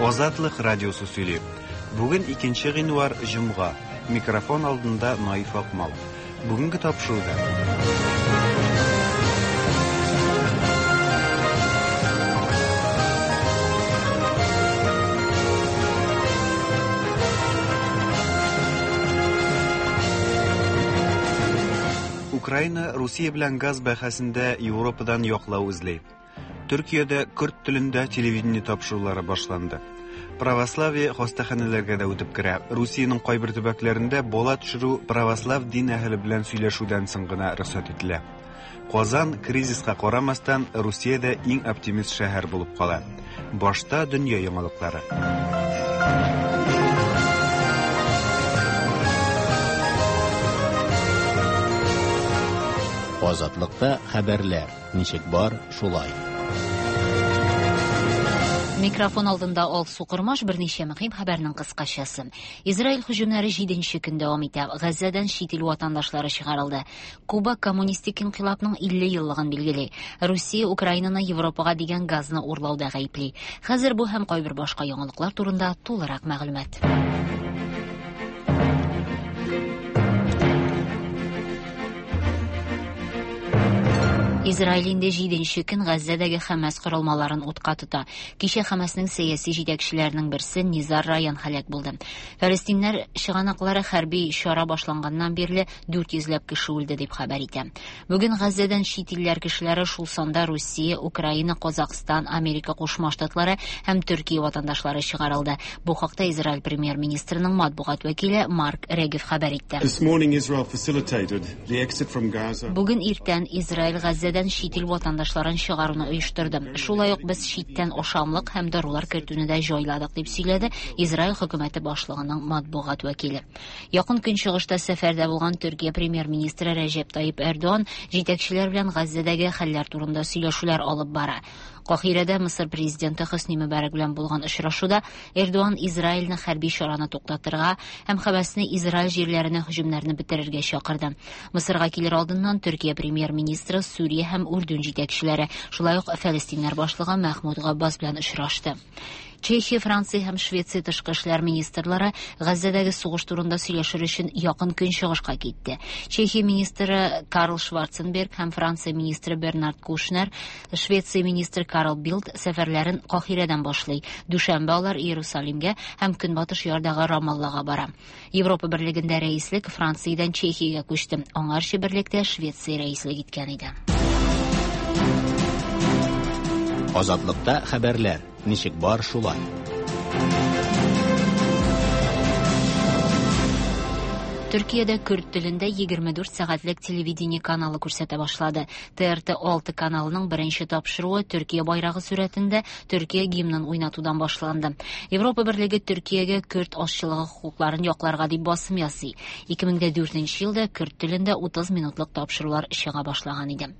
Азатлык радиосы сөйли. Бүген 2 гыйнвар, җомга. Микрофон алдында Наиф Акмал. Бүгенге тапшыруда. Украина Русия белән газ бәхәсендә Европадан яклау эзли. Төркиядә көрд телендә телевидение тапшырулары башланды. Православие хастаханәләргә дә үтеп керә. Русиянең кайбер төбәкләрендә бала төшерү православ дин әһеле белән сөйләшүдән соң гына рөхсәт ителә. Казан, кризиска карамастан, Русиядә иң оптимист шәһәр булып кала. Башта дөнья яңалыклары. Азатлыкта хәбәрләр. Ничек бар, шулай. Микрофон алдында Алсу Кормаш берничә мөһим хәбәрнең кыскачасы. Израиль һөҗүмнәре 7 көн дәвам итә. Газзәдән чит ил ватандашлары чыгарылды. Куба коммунистик инкыйлабның 50 еллыгын билгели. Русия Украинаны Европага дигән газны урлауда гаепли. Хәзер бу һәм кайбер башка яңалыклар турында тулырак мәгълүмат. Израиль инде җиденче көн Газзәдәге Хәмәс корылмаларын утка тота. Кичә Хәмәснең сәяси җитәкчеләренең берсе Низар Раян һәлак булды. Фәлестиннәр чыганаклары хәрби чара башланганнан бирле 400 ләп кеше үлде дип хәбәр итә. Бүген Газзәдән чит илләр кешеләре, шул санда Русия, Украина, Казахстан, Америка Кушма Штатлары һәм Төркия ватандашлары чыгарылды. Бу хакта Израиль премьер-министрының матбугат вәкиле Марк Регев хәбәр итте. This morning Israel facilitated the exit from Gaza. Бүген иртән Израиль Газзәдән чит ил ватандашларын чыгаруны оештырды. Шулай ук без читтән ашамлык һәм дарулар кертүне дә җайладык, дип сөйләде Израиль хөкүмәте башлыгының матбугат вәкиле. Якын Көнчыгышта сәфәрдә булган Төркия премьер-министры Рәҗәп Тайип Эрдоган җитәкчеләр белән Газзәдәге хәлләр турында сөйләшүләр алып бара. Каһирәдә Мысыр президенты Хөсни Мөбарәк белән булган очрашуда Эрдоган Израильне хәрби чараны туктатырга һәм Хәмәсне Израиль җирләренә һөҗүмнәрне бетерергә чакырды. Мысырга килер алдыннан Төркия премьер-министры Сүрия һәм Үрдүн җитәкчеләре, шулай ук Фәлестиннәр башлыгы Мәхмүд Габбас белән очрашты. Чехия, Франция һәм Швеция тышкы эшләр министрлары Газзәдәге сугыш турында сөйләшер өчен Якын Көнчыгышка китте. Чехия министры Карл Шварценберг һәм Франция министры Бернард Кушнер, Швеция министры Карл Билд сәфәрләрен Каһирәдән башлый. Дүшәмбе алар Иерусалимгә һәм Көнбатыш ярдагы Рамаллага бара. Европа Берлегендә рәислек Франциядән Чехиягә күчте. Аңарчы берлектә Швеция рәислек иткән иде. Азатлыкта хәбәрләр. Ничек бар, шулай. Төркиядә көрд телендә 24 сәгатьлек телевидение каналы күрсәтә башлады. ТРТ 6 каналының беренче тапшыруы Төркия байрагы сурәтендә Төркия гимнын уйнатудан башланды. Европа Берлеге Төркиягә көрд азчылыгы хокукларын якларга дип басым ясый. 2004 елда көрд телендә 30 минутлык тапшырулар чыга башлаган иде.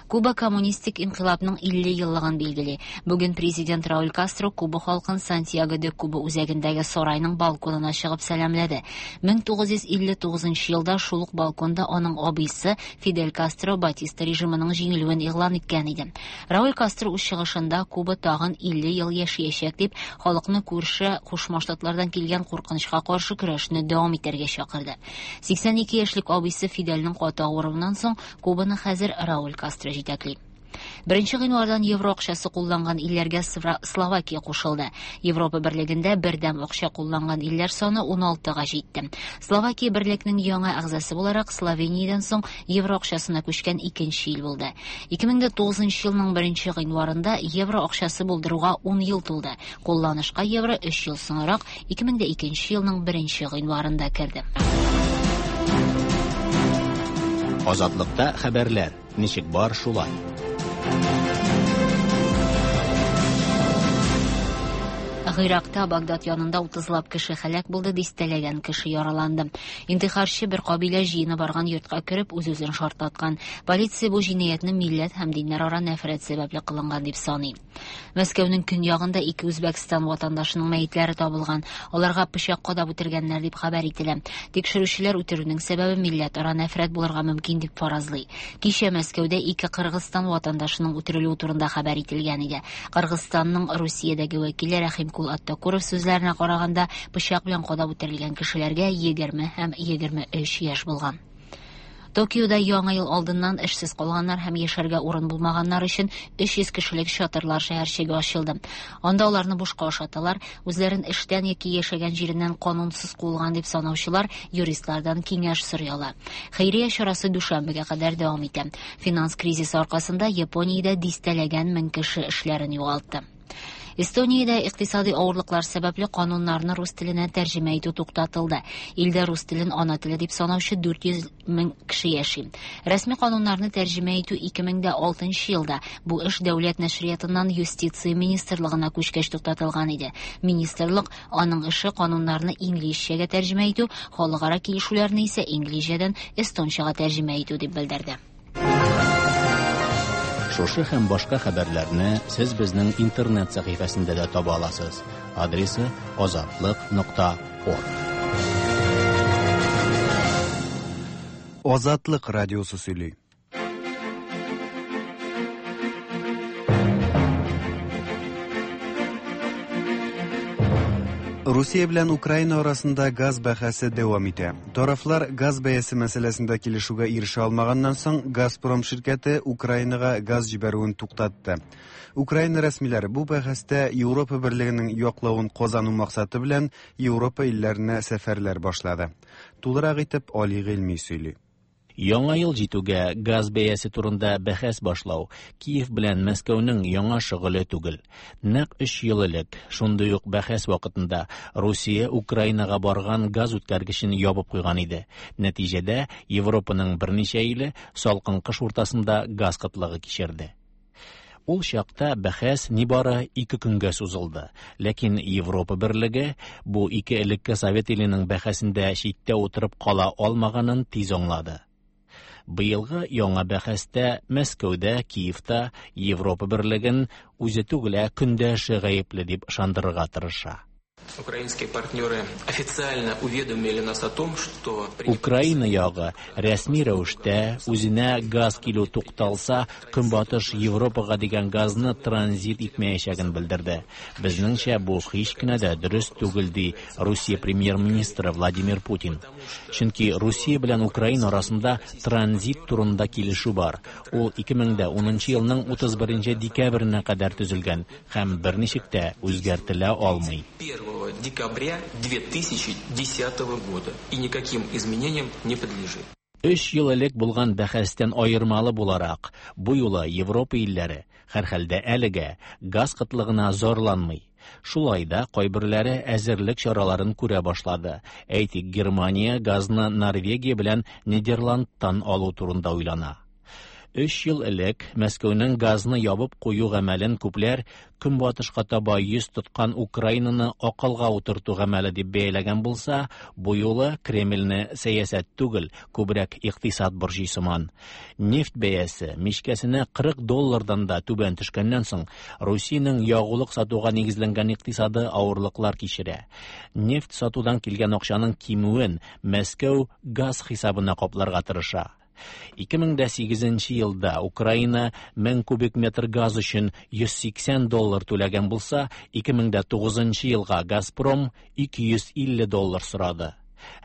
Куба коммунистик инкыйлабның 50 еллыгын билгели. Бүген президент Рауль Кастро Куба халкын Сантьяго де Куба үзәгендәге сарайның балконына чыгып сәламләде. 1959 елда шул ук балконда аның абыйсы Фидель Кастро Батиста режимының җиңелүен игълан иткән иде. Рауль Кастро үз чыгышында Куба тагын 50 ел яшәячәк дип, халыкны күрше Кушма Штатлардан килгән куркынычка каршы көрәшне дәвам итәргә чакырды. 82 яшьлек абыйсы Фидельнең каты авыруыннан соң Кубаны хәзер Рауль Кастро җитәкли. Беренче гыйнвардан евро акчасы кулланган илләргә Словакия кушылды. Европа Берлегендә бердәм акча кулланган илләр саны 16-га җитте. Словакия берлекнең яңа әгъзасы буларак Словениядән соң евро акчасына күчкән икенче ил булды. 2009 елның беренче гыйнварында евро акчасы булдыруга 10 ел тулды. Кулланышка евро 3 ел соңрак 2002 елның беренче гыйнварында керде. Азатлыкта хәбәрләр. Ничек бар, шулай. Гыйракта Багдад янында 30лап кеше һәлак булды, дистәләгән кеше яраланды. Интихарчы бер кабилә җыены барган йортка кереп, үз-үзен шартлаткан. Полиция бу җинаятьне милләт һәм диннәр ара нәфрәт сәбәпле кылынган дип саный. Мәскәүнең көньягында ике Үзбәкстан ватандашының мәетләре табылган. Аларга пычак кадап үтергәннәр дип хәбәр ителә. Тикшерүчеләр үтерүнең сәбәбе милләтара нәфрәт булырга мөмкин дип фаразлый. Кичә Мәскәүдә ике Кыргызстан ватандашының үтерелүе турында хәбәр ителгән иде. Кыргызстанның Русиядәге вәкиле Рәхимкул Токул Аттакуров сүзләренә караганда, пычак белән кадап үтерелгән кешеләргә 20 һәм 23 яшь булган. Токиода Яңа ел алдыннан эшсез калганнар һәм яшәргә урын булмаганнар өчен 300 кешелек чатырлар шәһәрчеге ачылды. Анда аларны бушка ашаталар, үзләрен эштән яки яшәгән җиреннән канунсыз куылган дип санаучылар юристлардан киңәш сорый ала. Хәйрия чарасы дүшәмбегә кадәр дәвам итә. Финанс кризисы аркасында Япониядә дистәләгән мең кеше эшләрен югалтты. Эстониядә икътисади авырлыклар сәбәпле кануннарны рус теленә тәрҗемә итү туктатылды. Илдә рус телен ана теле дип санаучы 400 мең кеше яши. Рәсми кануннарны тәрҗемә итү 2006 елда бу эш дәүләт нәшриятыннан юстиция министрлыгына күчкәч туктатылган иде. Министрлык аның эше кануннарны инглизчәгә тәрҗемә итү, халыкара килешүләрне исә инглизчәдән эстончага тәрҗемә итү дип белдерде. Шушы һәм башка хәбәрләрне сез безнең интернет сәхифәсендә дә таба аласыз. Адресы azatliq.org. Азатлык радиосы сөйли. Русия белән Украина арасында газ бәхәсе дәвам итә. Тарафлар газ бәясе мәсьәләсендә килешүгә ирешә алмаганнан соң Газпром ширкәте Украинага газ җибәрүен туктатты. Украина рәсмиләре бу бәхәстә Европа берлегенең яклавын казану максаты белән Европа илләренә сәфәрләр башлады. Тулырак итеп Али Гыйльми сөйли. Яңа ел җитүгә газ бәясе турында бәхәс башлау Киев белән Мәскәүнең яңа шөгыле түгел. Нәкъ 3 ел элек шундый ук бәхәс вакытында Русия Украинага барган газ үткәргечен ябып куйган иде. Нәтиҗәдә Европаның берничә иле салкын кыш уртасында газ кытлыгы кичерде. Ул чакта бәхәс нибары 2 көнгә сузылды. Ләкин Европа берлеге бу ике элекке совет иленең бәхәсендә читтә утырып кала алмаганын тиз аңлады. Быелгы яңа бәхәстә Мәскәүдә, Киевта Европа берлеген үзе түгел, ә көндәше гаепле дип ышандырырга тырыша. Украинские партнеры официально уведомили нас о том, что Украина ягы рәсми рәвештә үзенә газ килү тукталса, Көнбатыш Европага дигән газны транзит итмәячәген белдерде. Безнеңчә бу һич кенә дә дөрес түгел, ди Русия премьер-министры Владимир Путин. Чөнки Русия белән Украина арасында транзит турында килешү бар. Ул 2010 елның 31 декабренә кадәр төзелгән һәм берничек тә үзгәртелә алмый. 1 декабря 2010 года и никаким изменениям не подлежит. 3 ел элек булган бәхәстән аермалы буларак, бу юлы Европа илләре һәрхәлдә әлегә газ кытлыгына зарланмый. Шулай да кайберләре әзерлек чараларын күрә башлады. Әйтик, Германия газны Норвегия белән Нидерландтан алу турында уйлана. 3 ел элек Мәскәүнең газны ябып кую гамәлен күпләр Көнбатышка таба йөз тоткан Украинаны акылга утырту гамәле дип бәяләгән булса, бу юлы Кремльне сәясәт түгел, күбрәк икътисад борчый сыман. Нефть бәясе мичкәсенә 40 доллардан да түбән төшкәннән соң, Русиянең ягулык сатуга нигезләнгән икътисады авырлыклар кичерә. Нефть сатудан килгән акчаның кимүен Мәскәү газ хисабына капларга тырыша. 2008 елда Украина 1000 кубик метр газ өчен 180 доллар түләгән булса, 2009 елга Газпром 250 доллар сорады.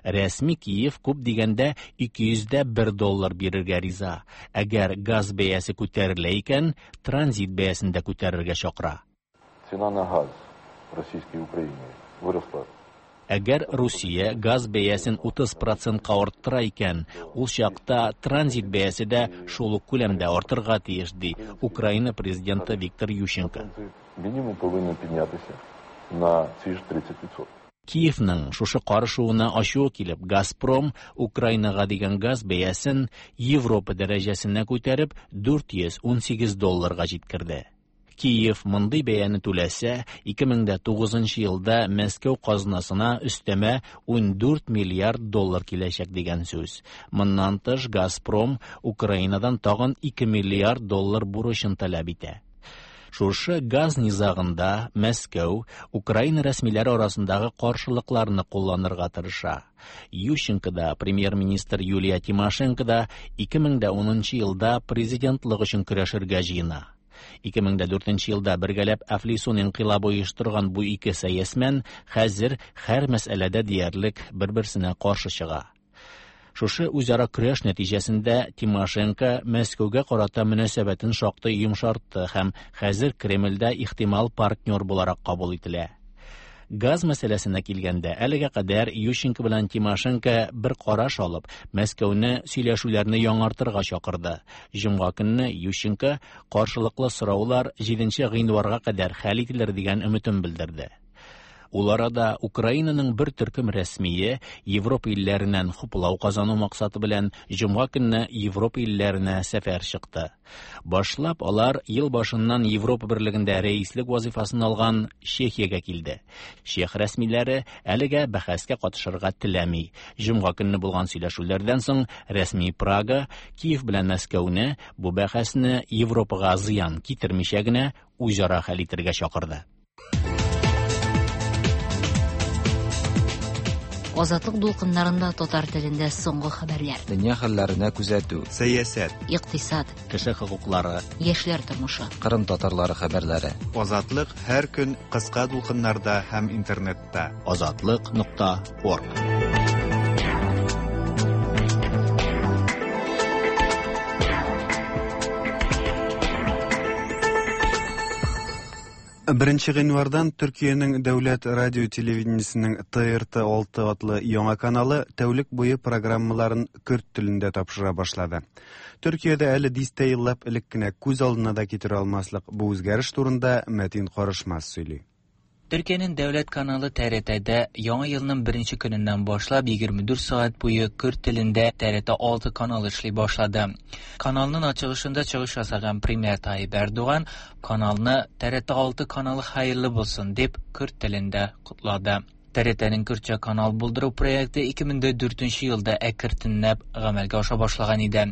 Рәсми Киев күп дигәндә 201 доллар бирергә риза. Әгәр газ бәясе күтәрелә икән, транзит бәясен дә күтәрергә чакыра. Цена на газ в Российской Украине выросла. Әгәр Русия газ бәясен 30%-ка арттыра икән, ул чакта транзит бәясе дә шул ук күләмдә артырга тиеш, ди Украина президенты Виктор Ющенко. Минимум повинен піднятися на ці ж 30%. Киевның шушы карышуына ачуы килеп, Газпром Украинага дигән газ бәясен Европа дәрәҗәсенә күтәреп 418 долларга җиткерде. Киев мондый бәяне түләсә, 2009 елда Мәскәү казнасына өстәмә 14 миллиард доллар киләчәк дигән сүз. Моннан тыш Газпром Украинадан тагын 2 миллиард доллар бурычын таләп итә. Шушы газ низагында Мәскәү Украина рәсмиләре арасындагы каршылыкларны кулланырга тырыша. Ющенко да, премьер-министр Юлия Тимошенко да 2010 елда президентлык өчен көрәшергә җыена. 2004 елда бергәләп Әфлисун инкыйлабы оештырган бу ике сәясмән хәзер һәр мәсьәләдә диярлек бер-берсенә каршы чыга. Шушы үзара көрәш нәтиҗәсендә Тимошенко Мәскәүгә карата мөнәсәбәтен шактый йомшартты һәм хәзер Кремльдә ихтимал партнер буларак кабул ителә. Газ мәсьәләсенә килгәндә, әлегә кадәр Ющенко белән Тимошенко бер караш алып, Мәскәүне сөйләшүләрне яңартырга чакырды. Җомга көнне Ющенко каршылыклы сораулар 7 гыйнварга кадәр хәл ителер дигән өметен белдерде. Ул арада Украинаның бер төркем рәсмие Европа илләреннән хуплау казану максаты белән җомга көнне Европа илләренә сәфәр чыкты. Башлап алар ел башыннан Европа берлегендә рәислек вазифасын алган Чехиягә килде. Чех рәсмиләре әлегә бәхәскә катышырга теләми. Җомга көнне булган сөйләшүләрдән соң рәсми Прага Киев белән Мәскәүне бу бәхәсне Европага зыян китермичә генә үзара хәл итәргә чакырды. Азатлык дулкыннарында татар телендә соңгы хәбәрләр. Дөнья хәлләренә күзәтү. Сәясәт. Икътисад. Кеше хокуклары. Яшьләр тормышы. Кырым татарлары хәбәрләре. Азатлык һәр көн кыска дулкыннарда һәм интернетта. Азатлык.орг. Беренче гыйнвардан Төркиянең дәүләт радио телевидениесенең ТРТ 6 атлы яңа каналы тәүлек буе программаларын көрд телендә тапшыра башлады. Төркиядә әле дистә еллап элек кенә күз алдына да китерә алмаслык бу үзгәреш турында Мәтин Карышмас сөйли. Төркиянең дәүләт каналы ТРТ-дә яңа елның беренче көненнән башлап 24 сәгать буе көрд телендә ТРТ 6 каналы эшли башлады. Каналның ачылышында чыгыш ясаган премьер Таyyip Эрдоган каналны ТРТ 6 каналы хәерле булсын дип көрд телендә котлады. ТРТ-нең көрдчә канал булдыру проекты 2004 елда әкертенләп гамәлгә аша башлаган иде.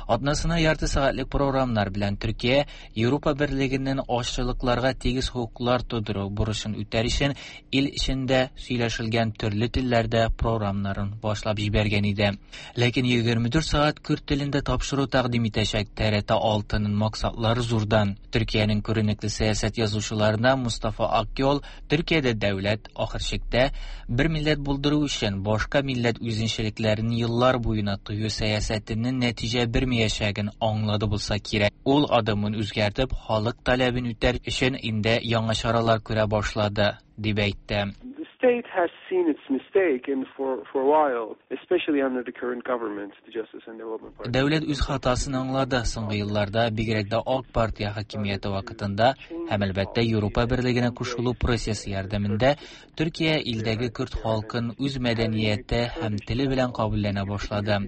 Атнасына ярты сәгатьлек програмнар белән Төркия Европа берлегеннән азчылыкларга тигез хокуклар тудыру бурычын үтәр өчен ил эчендә сөйләшелгән төрле телләрдә програмнарын башлап җибәргән иде. Ләкин 24 сәгать көрд телендә тапшыру тәкъдим итәчәк ТРТ 6-ның максатлары зурдан. Төркиянең күренекле сәясәт язучыларына Мустафа Акйол Төркиядә дәүләт ахыр чиктә бер милләт булдыру өчен башка милләт үзенчәлекләрен еллар буена тыю сәясәтенең нәтиҗә бирмәячәген аңлады булса кирәк. Ул адымын үзгәртеп, халык таләбен үтәр өчен инде яңа чаралар күрә башлады, дип әйтте. The state has seen its mistake and for a while, especially under the current government, the Justice and Development Party. Дәүләт үз хатасын аңлады. Соңгы елларда, бигрәк тә Ак партия хакимияте вакытында һәм әлбәттә Европа берлегенә кушылу процессы ярдәмендә Төркия илдәге көрд халкын үз мәдәнияте һәм теле белән кабулләнә башлады.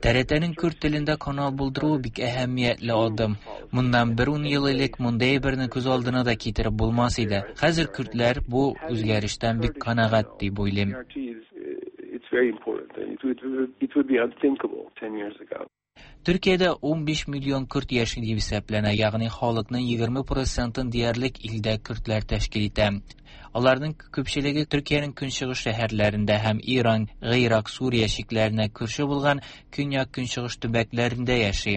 ТРТ-нең көрд телендә канал булдыру бик әһәмиятле адым. Моннан бер ун ел элек мондый әйберне күз алдына да китереп булмас иде. Хәзер көрдләр бу үзгәрештән бик канәгать дип уйлыйм. It's very important, and it would be unthinkable 10 years ago. Төркиядә 15 миллион көрд яши дип исәпләнә, ягъни халыкның 20%-ын диярлек илдә көрдләр тәшкил итә. Аларның күпчелеге Төркиянең көнчыгыш шәһәрләрендә һәм Иран, Гыйрак, Сүрия чикләренә күрше булган көньяк-көнчыгыш төбәкләрендә яши.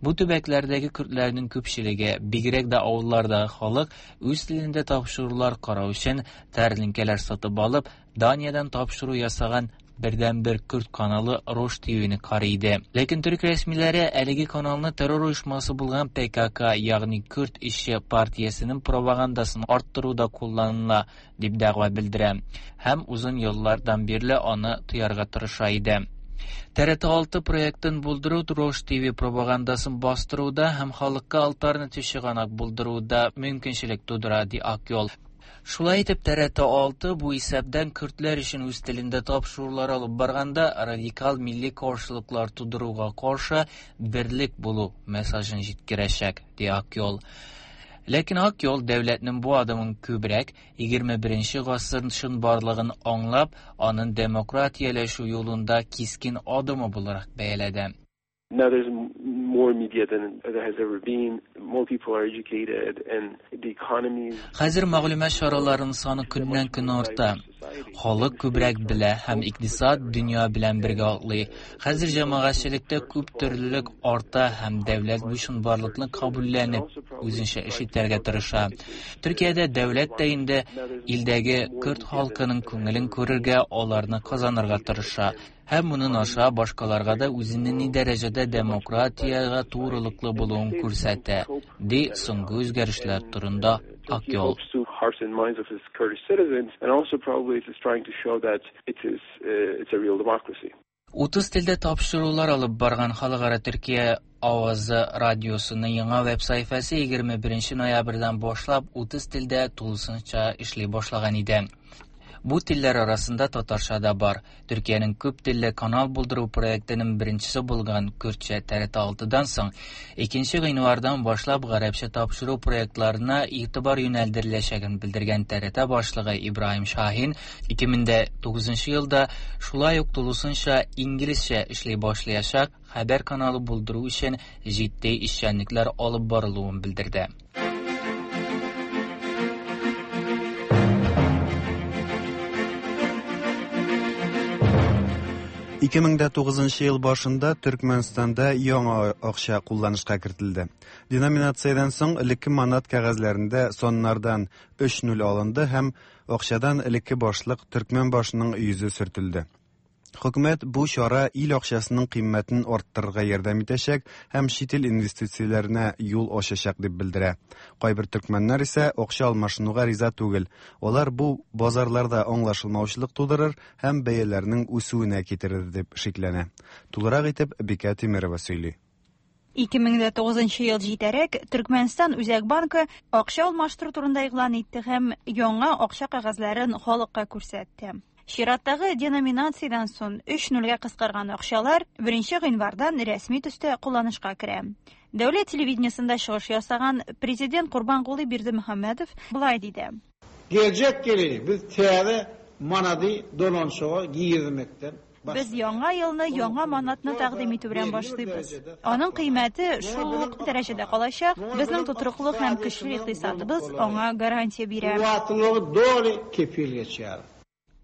Бу төбәкләрдәге көрдләрнең күпчелеге, бигрәк тә авыллардагы халык, үз телендә тапшырулар карау өчен тәрлинкәләр сатып алып, Даниядән тапшыру ясаган бердәнбер көрд каналы Рош ТВ-ны карый иде. Ләкин төрк рәсмиләре әлеге каналны террор оешмасы булган ПКК, ягъни Көрд эшче партиясенең пропагандасын арттыруда кулланыла дип дәгъва белдерә һәм озын еллардан бирле аны тыярга тырыша иде. ТРТ 6 проектын булдыру Рош ТВ пропагандасын бастыруда һәм халыкка альтернатив чыганак булдыруда мөмкинчелек тудыра, ди Акйол. Шулай итеп, ТРТ 6 бу исәптән көрдләр өчен үз телендә тапшырулар алып барганда радикал милли каршылыклар тудыруга каршы берлек булу мессажын җиткерәчәк, ди Акйол. Ләкин Акйол дәүләтнең бу адымын күбрәк 21 гасыр чынбарлыгын аңлап, аның демократияләшү юлында кискен адымы буларак бәяләде. Now there's more media than there has ever been. More people are educated and the economy. Хәзер мәгълүмат чараларының саны көннән-көн арта. Халык күбрәк белә һәм икътисад дөнья белән бергә атлый. Хәзер җәмәгатьчелектә күп төрлелек арта һәм дәүләт бу чынбарлыкны кабулләнеп, үзенчә эш итәргә тырыша. Төркиядә дәүләт тә инде илдәге көрд халкының күңелен күрергә, аларны казанырга тырыша. Һәм моның аша башкаларга да үзенең ни дәрәҗәдә демократиягә турылыклы булуын күрсәтә, ди соңгы үзгәрешләр турында Акъол. 30 телдә тапшырулар алып барган Халыкара Төркия авазы радиосының яңа веб-сәхифәсе 21 ноябрьдән башлап 30 телдә тулысынча эшли башлаган иде. Бу телләр арасында татарча да бар. Төркиянең күп телле канал булдыру проектының беренчесе булган Көрдчә TRT 6-дан соң, 2 гыйнвардан башлап гарәпчә тапшыру проектларына игътибар юнәлдереләчәген белдергән TRT башлыгы Ибраһим Шаһин 2009 елда шулай ук тулысынча инглизчә эшли башлаячак хәбәр каналы булдыру өчен җитди эшчәнлекләр алып барылуын белдерде. 2009 ел башында Төркмәнстанда яңа акча кулланышка кертелде. Деноминациядән соң элекке манат кәгазьләрендә саннардан 3-0 алынды һәм акчадан элекке башлык төркмән башының йөзе сөртелде. Хөкүмәт бу чара ил акчасының кыйммәтен арттырырга ярдәм итәчәк һәм чит ил инвестицияләренә юл ачачак дип белдерә. Кайбер төркмәннәр исә акча алмашынуга риза түгел. Алар бу базарларда аңлашылмаучылык тудырыр һәм бәяләрнең үсүенә китерер дип шикләнә. Тулырак итеп Бикә Тимирова сөйли. 2009 ел җитәрәк Төркмәнстан Үзәк банкы акча алмаштыру турында игълан итте һәм яңа акча кәгазьләрен халыкка күрсәтте. Чираттагы деноминациядән соң 3-0гә кыскарган акчалар 1 гыйнвардан рәсми төстә кулланышка керә. Дәүләт телевидениесендә чыгыш ясаган президент Курбангулы Бердымөхәммәдов болай диде. Geljek ýyly biz täze manady dolanşyga girmekden Без яңа елны яңа манатны тәкъдим итү белән башлыйбыз. Аның кыйммәте шул ук дәрәҗәдә калачак. Безнең тотрыклы һәм көчле икътисадыбыз аңа гарантия бирә. Kuwwatlylygy doly kepil geçýär.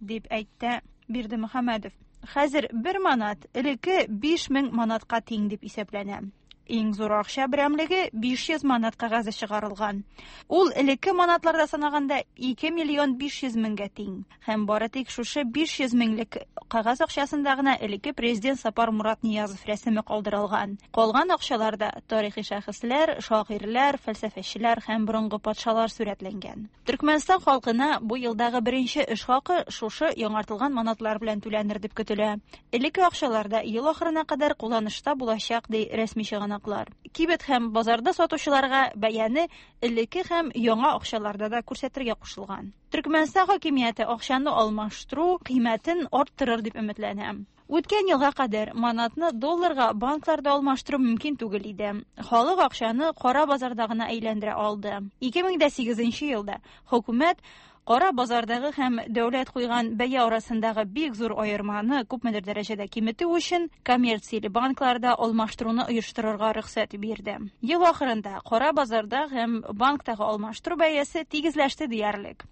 Дип әйтте Бердымөхәммәдов. Хәзер бер манат элекке 5000 манатка тиң дип исәпләнә. Иң зур акча берәмлеге 500 манат кәгазе чыгарылган. Ул элекке манатларда санаганда 2 миллион 500 меңгә тиң. Һәм бары тик шушы 500 меңлек кәгазь акчасында гына элекке президент Сапар Мурат Ниязов рәсеме калдырылган. Калган акчаларда тарихи шәхесләр, шагыйрьләр, фәлсәфәчеләр һәм борынгы патшалар сурәтләнгән. Төркмәнстан халкына бу елдагы беренче эш хакы шушы яңартылган манатлар белән түләнер дип көтелә. Элекке акчаларда ел ахырына кадәр кулланышта булачак, ди рәсми чыганаклар. Кибет һәм базарда сатучыларга бәяне элекке һәм яңа акчаларда да күрсәтергә кушылган. Төркмәнстан хакимияте акчаны алмаштыру кыйммәтен арттырыр дип өметләнә. Үткән елга кадәр манатны долларга банкларда алмаштыру мөмкин түгел иде. Халык акчаны кара базарда гына әйләндерә алды. 2008 елда хөкүмәт кара базардагы һәм дәүләт куйган бәя арасындагы бик зур аерманы күпмедер дәрәҗәдә киметү өчен коммерцияле банкларда алмаштыруны оештырырга рөхсәт бирде. Ел ахырында кара базарда һәм банктагы алмаштыру бәясе тигезләште диярлек.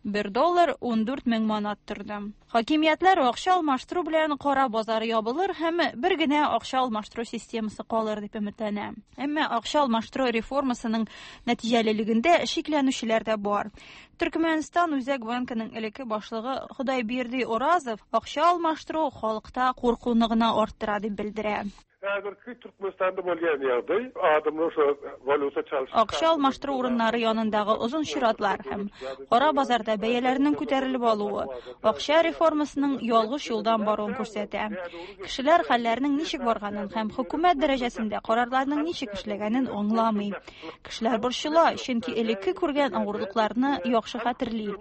1 доллар 14 мең манат торды. Хакимиятләр акча алмаштыру белән кара базар ябылыр һәм бер генә акча алмаштыру системасы калыр дип өметләнә. Әмма акча алмаштыру реформасының нәтиҗәлелегендә шикләнүчеләр дә бар. Төркмәнстан Үзәк банкының элекке башлыгы Худайберди Оразов акча алмаштыру халыкта куркуны гына арттыра дип белдерә. Häzirki Türkmenistanda bolýan ýagdaý adamlar şu waluta çalyşyp Акча алмаштыру урыннары янындагы озын чиратлар һәм кара базарда бәяләрнең күтәрелеп алуы акча реформасының ялгыш юлдан баруын күрсәтә. Кешеләр хәлләрнең ничек барганын һәм хөкүмәт дәрәҗәсендә карарларның ничек эшләгәнен аңламый. Кешеләр борчыла, чөнки элекке күргән авырлыкларны яхшы хәтерли.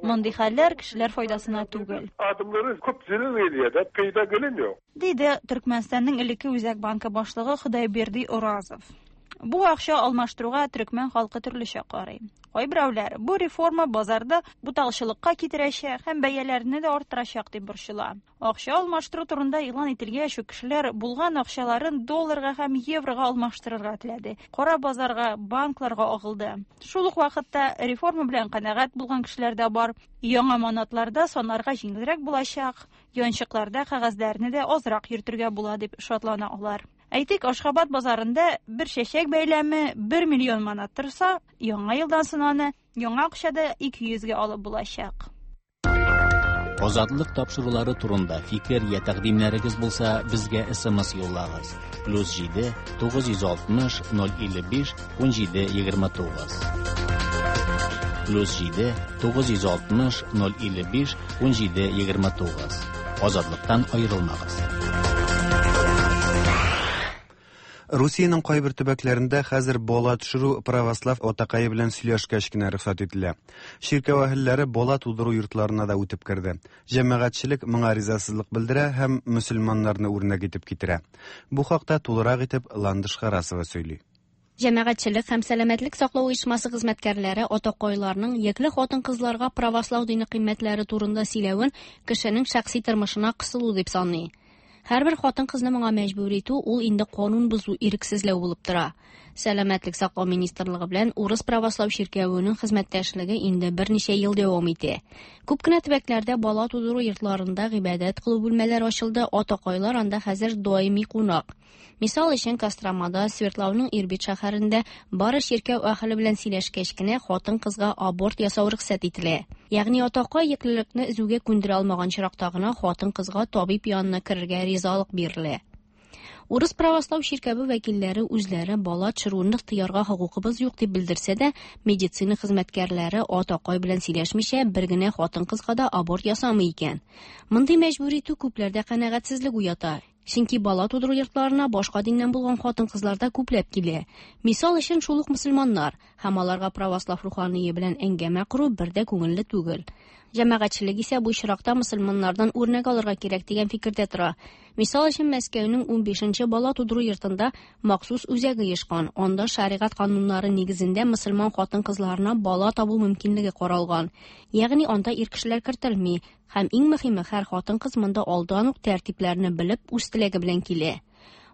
Мондый хәлләр кешеләр файдасына түгел. Adamlara köp zelal gelýär, peýda gelmiýär. Диде Төркмәнстанның элекке Үзәк банкы башлыгы Худайберди Оразов. Бу акча алмаштыруга төрекмән халкы төрлечә карый. Кайберәүләр бу реформа базарда буталчылыкка китерәчәк һәм бәяләрне дә арттырачак дип борчыла. Акча алмаштыру турында игълан ителгәч үк кешеләр булган акчаларын долларга һәм еврога алмаштырырга теләде. Кара базарга, банкларга агылды. Шул ук вакытта реформа белән канәгать булган кешеләр дә бар. Яңа манатларда санарга җиңелрәк булачак, янчыкларда кәгазьләрне дә азрак йөртергә була дип шатлана алар. Әйтик, Ашхабад базарында бер чәчәк бәйләме 1 миллион манат торса, яңа елдан соң аны яңа акчада 200 гә алып булачак. Азатлык тапшырулары турында фикер я тәкъдимнәрегез булса, безгә SMS юллагыз. Плюс 7 960 055 17 29. Плюс 7 960 055 17 29. Азатлыктан аерылмагыз. Русиянең кайбер төбәкләрендә хәзер бала төшерү православ атакае белән сөйләшкәч кенә рөхсәт ителә. Чиркәү әһелләре бала тудыру йортларына да үтеп керде. Җәмәгатьчелек моңа ризасызлык белдерә һәм мөселманнарны үрнәк итеп китерә. Бу хакта тулырак итеп Ландыш Харасова сөйли. Җәмәгатьчелек һәм сәламәтлек саклау оешмасы хезмәткәрләре атакайларның йөкле хатын-кызларга правослау дине кыйммәтләре турында сөйләвен кешенең шәхси тормышына кысылу дип саный. Һәрбер хатын-кызны моңа мәҗбүр итү ул инде канун бозу, ирексезләү булып тора. Сәламәтлек саклау министрлыгы белән Урыс православ чиркәвенең хезмәттәшлеге инде берничә ел дәвам итә. Күп кенә төбәкләрдә бала тудыру йортларында гыйбадәт кылу бүлмәләре ачылды, атакайлар анда хәзер даими кунак. Мисал өчен, Костромада, Свердлауның Ирбит шәһәрендә бары чиркәү әһеле белән сөйләшкәч кенә хатын-кызга аборт ясау рөхсәт ителә. Ягъни атакай йөклелекне өзүгә күндерә алмаган очракта гына хатын-кызга табиб янына керергә ризалык бирелә. Урыс православ чиркәве вәкилләре үзләре бала төшерүне тыярга хокукыбыз юк дип белдерсә дә, медицина хезмәткәрләре атакай белән сөйләшмичә бер генә хатын-кызга да аборт ясамый икән. Мондый мәҗбүр итү күпләрдә канәгатьсезлек уята. Чөнки бала тудыру йортларына башка диннән булган хатын-кызлар да күпләп килә. Мисал өчен, шул ук мөселманнар һәм аларга православ рухание белән әңгәмә кору бер дә күңелле түгел. Җәмәгатьчелек исә бу очракта мөселманнардан үрнәк алырга кирәк дигән фикердә тора. Мисал өчен, Мәскәүнең 15нче бала тудыру йортында махсус үзәк оешкан. Анда шәригать кануннары нигезендә мөселман хатын-кызларына бала табу мөмкинлеге каралган. Ягъни анда ир кешеләр кертелми. Һәм иң мөһиме, һәр хатын-кыз монда алдан ук тәртипләрне белеп, үз теләге белән килә.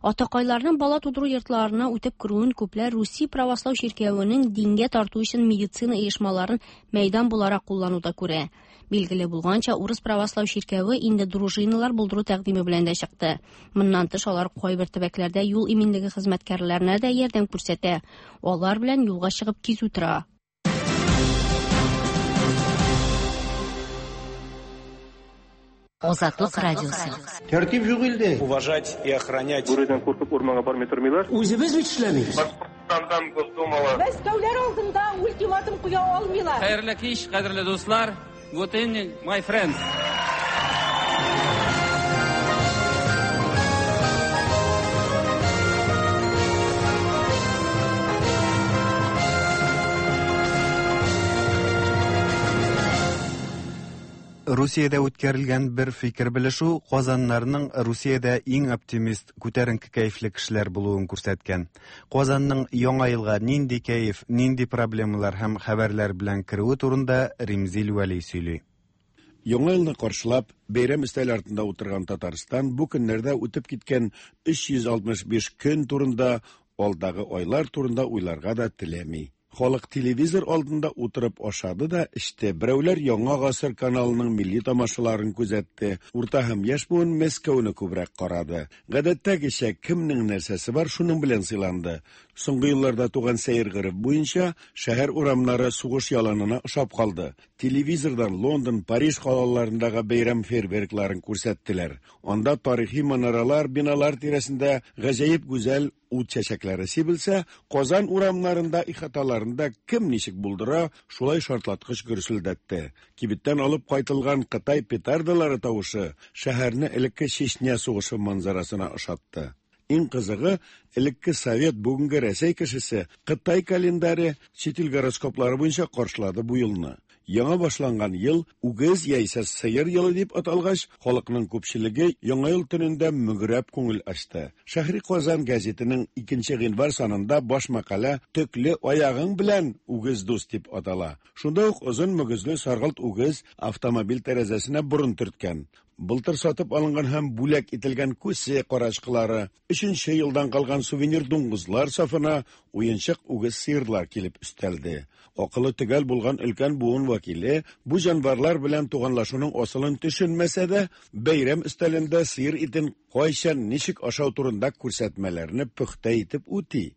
Атакайларның бала тудыру йортларына үтеп керүен күпләр Русия православ чиркәвенең дингә тарту өчен медицина оешмаларын мәйдан буларак куллануда күрә. Билгеле булганча, Урыс православ чиркәве инде дружиналар булдыру тәкъдиме белән дә чыкты. Моннан тыш, алар кайбер төбәкләрдә юл иминлеге хезмәткәрләренә дә ярдәм күрсәтә. Алар белән юлга чыгып кизү тора. Азатлык радиосы. Тәртип юк илдә. Уважать и охранять. Бүредән куркып урманга бармый тормыйлар. Үзебез бит эшләмибез. Башкортстандан Госдумала. Мәскәүләр алдында ультиматум куя алмыйлар. Хәерле кич, кадерле дуслар. Good evening, my friends. Русиядә үткәрелгән бер фикер белешү Казаннарның Русиядә иң оптимист, күтәренке кәефле кешеләр булуын күрсәткән. Казанның яңа елга нинди кәеф, нинди проблемалар һәм хәбәрләр белән керүе турында Римзил Вәли сөйли. Яңа елны каршылап, бәйрәм өстәле артында утырган Татарстан бу көннәрдә үтеп киткән 365 көн турында, алдагы айлар турында уйларга да теләми. Халык телевизор алдында утырып ашады да эчте. Берәүләр Яңа гасыр каналының милли тамашаларын күзәтте. Урта һәм яшь буын Мәскәүне күбрәк карады. Гадәттәгечә кемнең нәрсәсе бар, шуның белән сыйланды. Соңгы елларда туган сәер гореф буенча шәһәр урамнары сугыш яланына ошап калды. Телевизордан Лондон, Париж калаларындагы бәйрәм фейерверкларын күрсәттеләр. Анда тарихи манаралар, биналар тирәсендә гаҗәеп гүзәл ут чәчәкләре сибелсә, Казан урамнарында, ихаталарында кем ничек булдыра, шулай шартлаткыч гөрселдәтте. Кибеттән алып кайтылган Кытай петардалары тавышы шәһәрне элекке Чечня сугышы манзарасына ошатты. Иң кызыгы, элекке Совет, бүгенге Рәсәй кешесе Кытай календаре, чит ил гороскоплары буенча каршылады бу елны. Яңа башланган ел үгез яисә сыер елы дип аталгач, халыкның күпчелеге Яңа ел төнендә мөгрәп күңел ачты. Шәһри Казан гәзитенең 2 гыйнвар санында баш мәкалә «Төкле аягың белән үгез дус» дип атала. Шунда ук озын мөгезле саргылт үгез автомобиль тәрәзәсенә борын төрткән. Былтыр сатып алынган һәм бүләк ителгән күсе карачкылары, өченче елдан калган сувенир дуңгызлар сафына уенчык үгез сыерлар килеп өстәлде. Акылы төгәл булган өлкән буын вәкиле бу җанварлар белән туганлашуның асылын төшенмәсә дә, бәйрәм өстәлендә сыер итен кайчан, ничек ашау турында күрсәтмәләрне пөхтә итеп үти.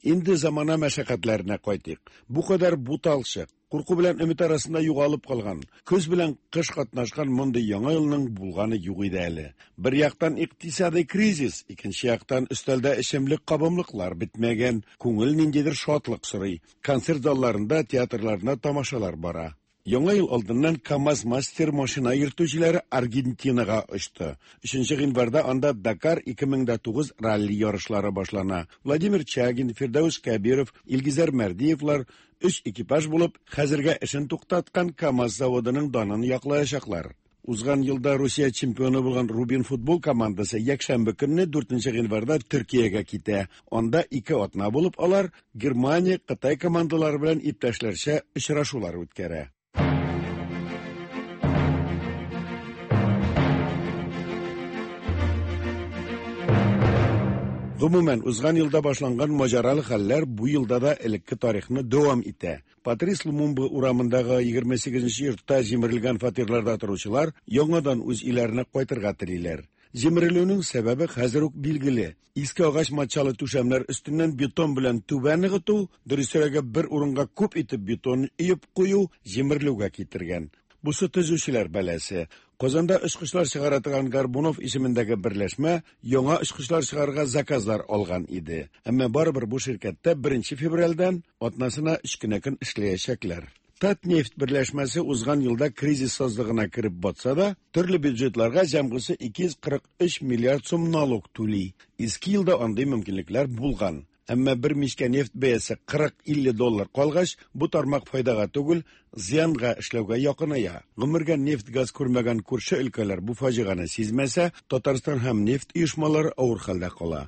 Инде замана мәшәкатьләренә кайтыйк. Бу кадәр буталчык, курку белән өмет арасында югалып калган, көз белән кыш катнашкан мондый яңа елның булганы юк иде әле. Бер яктан икътисадый кризис, икенче яктан өстәлдә эчемлек кабымлыклар бетмәгән, күңел ниндидер шатлык сорый. Концерт залларында, театрларында тамашалар бара. Яңа ел алдыннан КАМАЗ-мастер машина йөртүчеләре Аргентинага очты. 3 гыйнварда анда Дакар 2009 ралли ярышлары башлана. Владимир Чагин, Фирдәүс Кәбиров, Илгизәр Мәрдиевлар өч экипаж булып, хәзергә эшен туктаткан КАМАЗ заводының данын яклаячаклар. Узган елда Русия чемпионы булган Рубин футбол командасы якшәмбе көнне 4 гыйнварда Төркиягә китә. Анда ике атна булып алар Германия, Кытай командалары белән иптәшләрчә очрашулар үткәрә. Гомумән, узган елда башланган маҗаралы хәлләр бу елда да элекке тарихны дәвам итә. Патрис Лумумба урамындагы 28 йортта җимерелгән фатирларда торучылар яңадан үз өйләренә кайтырга телиләр. Җимерелүнең сәбәбе хәзер үк билгеле. Иске агач матчалы түшәмнәр өстеннән бетон белән түбә ныгыту, дөресрәге бер урынга күп итеп бетон өеп кую җимерелүгә китергән. Бусы төзүчеләр бәласе. Казанда очкычлар чыгара торган Горбунов исемендәге берләшмә яңа очкычлар чыгарырга заказлар алган иде. Әмма барыбер бу ширкәттә 1 февральдән атнасына 3 кенә көн эшләячәкләр. Татнефть берләшмәсе узган елда кризис сазлыгына кереп батса да, төрле бюджетларга җәмгысе 243 миллиард сум налог түли. Иске елда андый мөмкинлекләр булган. Әмма бер мичкә нефть бәясе 40-50 доллар калгач, бу тармак файдага түгел, зыянга эшләүгә якыная. Гомергә нефть-газ күрмәгән күрше өлкәләр бу фаҗигане сизмәсә, Татарстан һәм нефть оешмалары авыр хәлдә кала.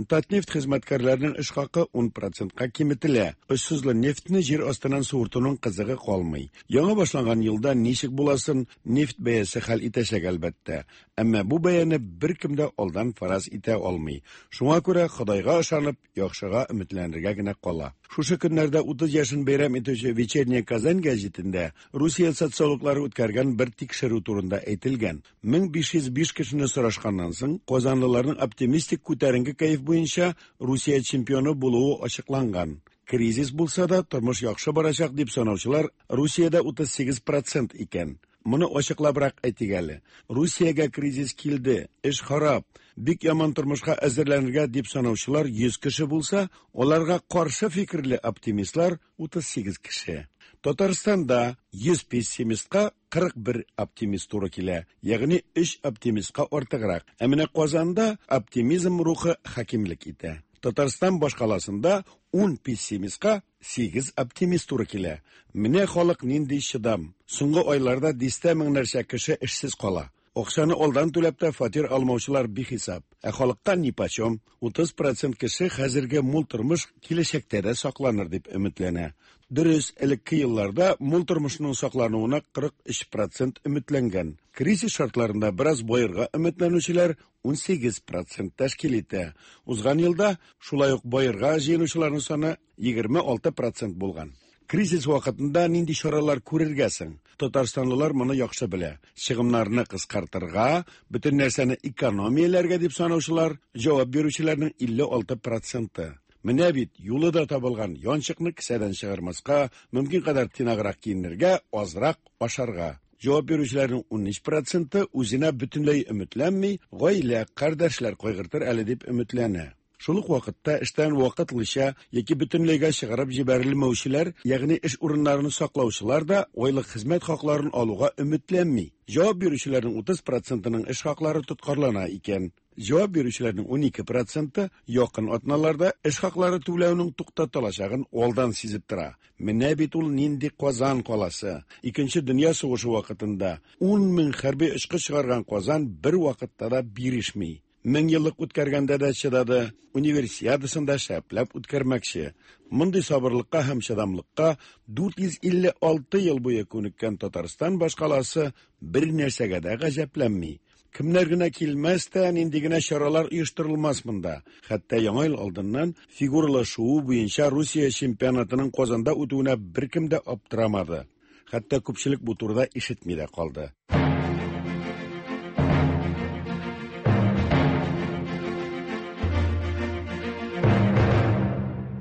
Татнефть хезмәткәрләренең эш хакы 10%ка киметелә. Очсызлы нефтьне җир астыннан суыртуның кызыгы калмый. Яңа башланган елда ничек буласын нефть бәясе хәл итәчәк, әлбәттә. Әмма бу бәяне беркем дә алдан фараз итә алмый. Шуңа күрә Ходайга ышанып, яхшыга өметләнергә генә кала. Шушы көннәрдә 30 яшен бәйрәм итүче Вечерняя Казань гәзитендә Русия социологлары үткәргән бер тикшерү турында әйтелгән. 1505 кешене сорашканнан соң, казанлыларның оптимистик күтәренке кәеф буенча Русия чемпионы булуы ачыкланган. Кризис булса да, тормыш яхшы барачак дип санаучылар Русиядә 38% икән. Моны ачыклабрак әйтик әле. Русиягә кризис килде, эш харап, бик яман тормышка әзерләнергә дип санаучылар 100 кеше булса, аларга каршы фикерле оптимистлар 38 кеше. Татарстанда 100 пессимистка 41 оптимист туры килә, ягъни 3 оптимистка артыграк. Ә менә Казанда оптимизм рухы хакимлек итә. Татарстан башкаласында 10 пессимистка 8 оптимист туры килә. Менә халык нинди чыдам. Соңгы айларда дистә меңнәрчә кеше эшсез кала. Акчаны алдан түләп тә фатир алмаучылар бихисап. Ә халыкка нипочем. 30% кеше хәзерге мул тормыш киләчәктә дә сакланыр дип өметләнә. Дөрес, элекке елларда мул тормышның саклануына 43% өметләнгән. Кризис шартларында бераз баерга өметләнүчеләр 18% тәшкил итә. Узган елда шулай ук баерга җыенучыларның саны 26% булган. Кризис вакытында нинди чаралар күрергә соң? Татарстанлылар моны яхшы белә. Чыгымнарны кыскартырга, бөтен нәрсәне экономияләргә дип санаучылар, җавап бирүчеләрнең 56%. Менә бит юлы да табылган, янчыкны кесәдән чыгармаска, мөмкин кадәр тыйнаграк киенергә, азрак ашарга. Җавап бирүчеләрнең 13% үзенә бөтенләй өметләнми, гаилә, кардәшләр кайгыртыр әле дип өметләнә. Шул ук вакытта эштән вакытлыча яки бөтенләйгә чыгарып җибәрелмәүчеләр, ягъни эш урыннарын саклаучылар да айлык хезмәт хакларын алуга өметләнми. Җавап бирүчеләрнең 30 процентының эш хаклары тоткарлана икән. Җавап бирүчеләрнең 12 проценты якын атналарда эш хаклары түләүнең туктатылачагын алдан сизеп тора. Менә бит ул нинди Казан каласы. Икенче дөнья сугышы вакытында 10 мең хәрби очкыч чыгарган Казан бер вакытта да бирешми. 1000 еллык үткәргәндә дә чыдады, универсиадасын да шәпләп үткәрмәкче. Мондый сабырлыкка һәм чыдамлыкка 456 ел буе күнеккән Татарстан башкаласы бер нәрсәгә дә гаҗәпләнми. Кемнәр генә килмәс тә, нинди генә чаралар оештырылмас монда. Хәтта Яңа ел алдыннан фигуралы шуу буенча Русия чемпионатының Казанда үтүенә беркем дә аптырамады. Хәтта күпчелек бу турыда ишетми дә калды.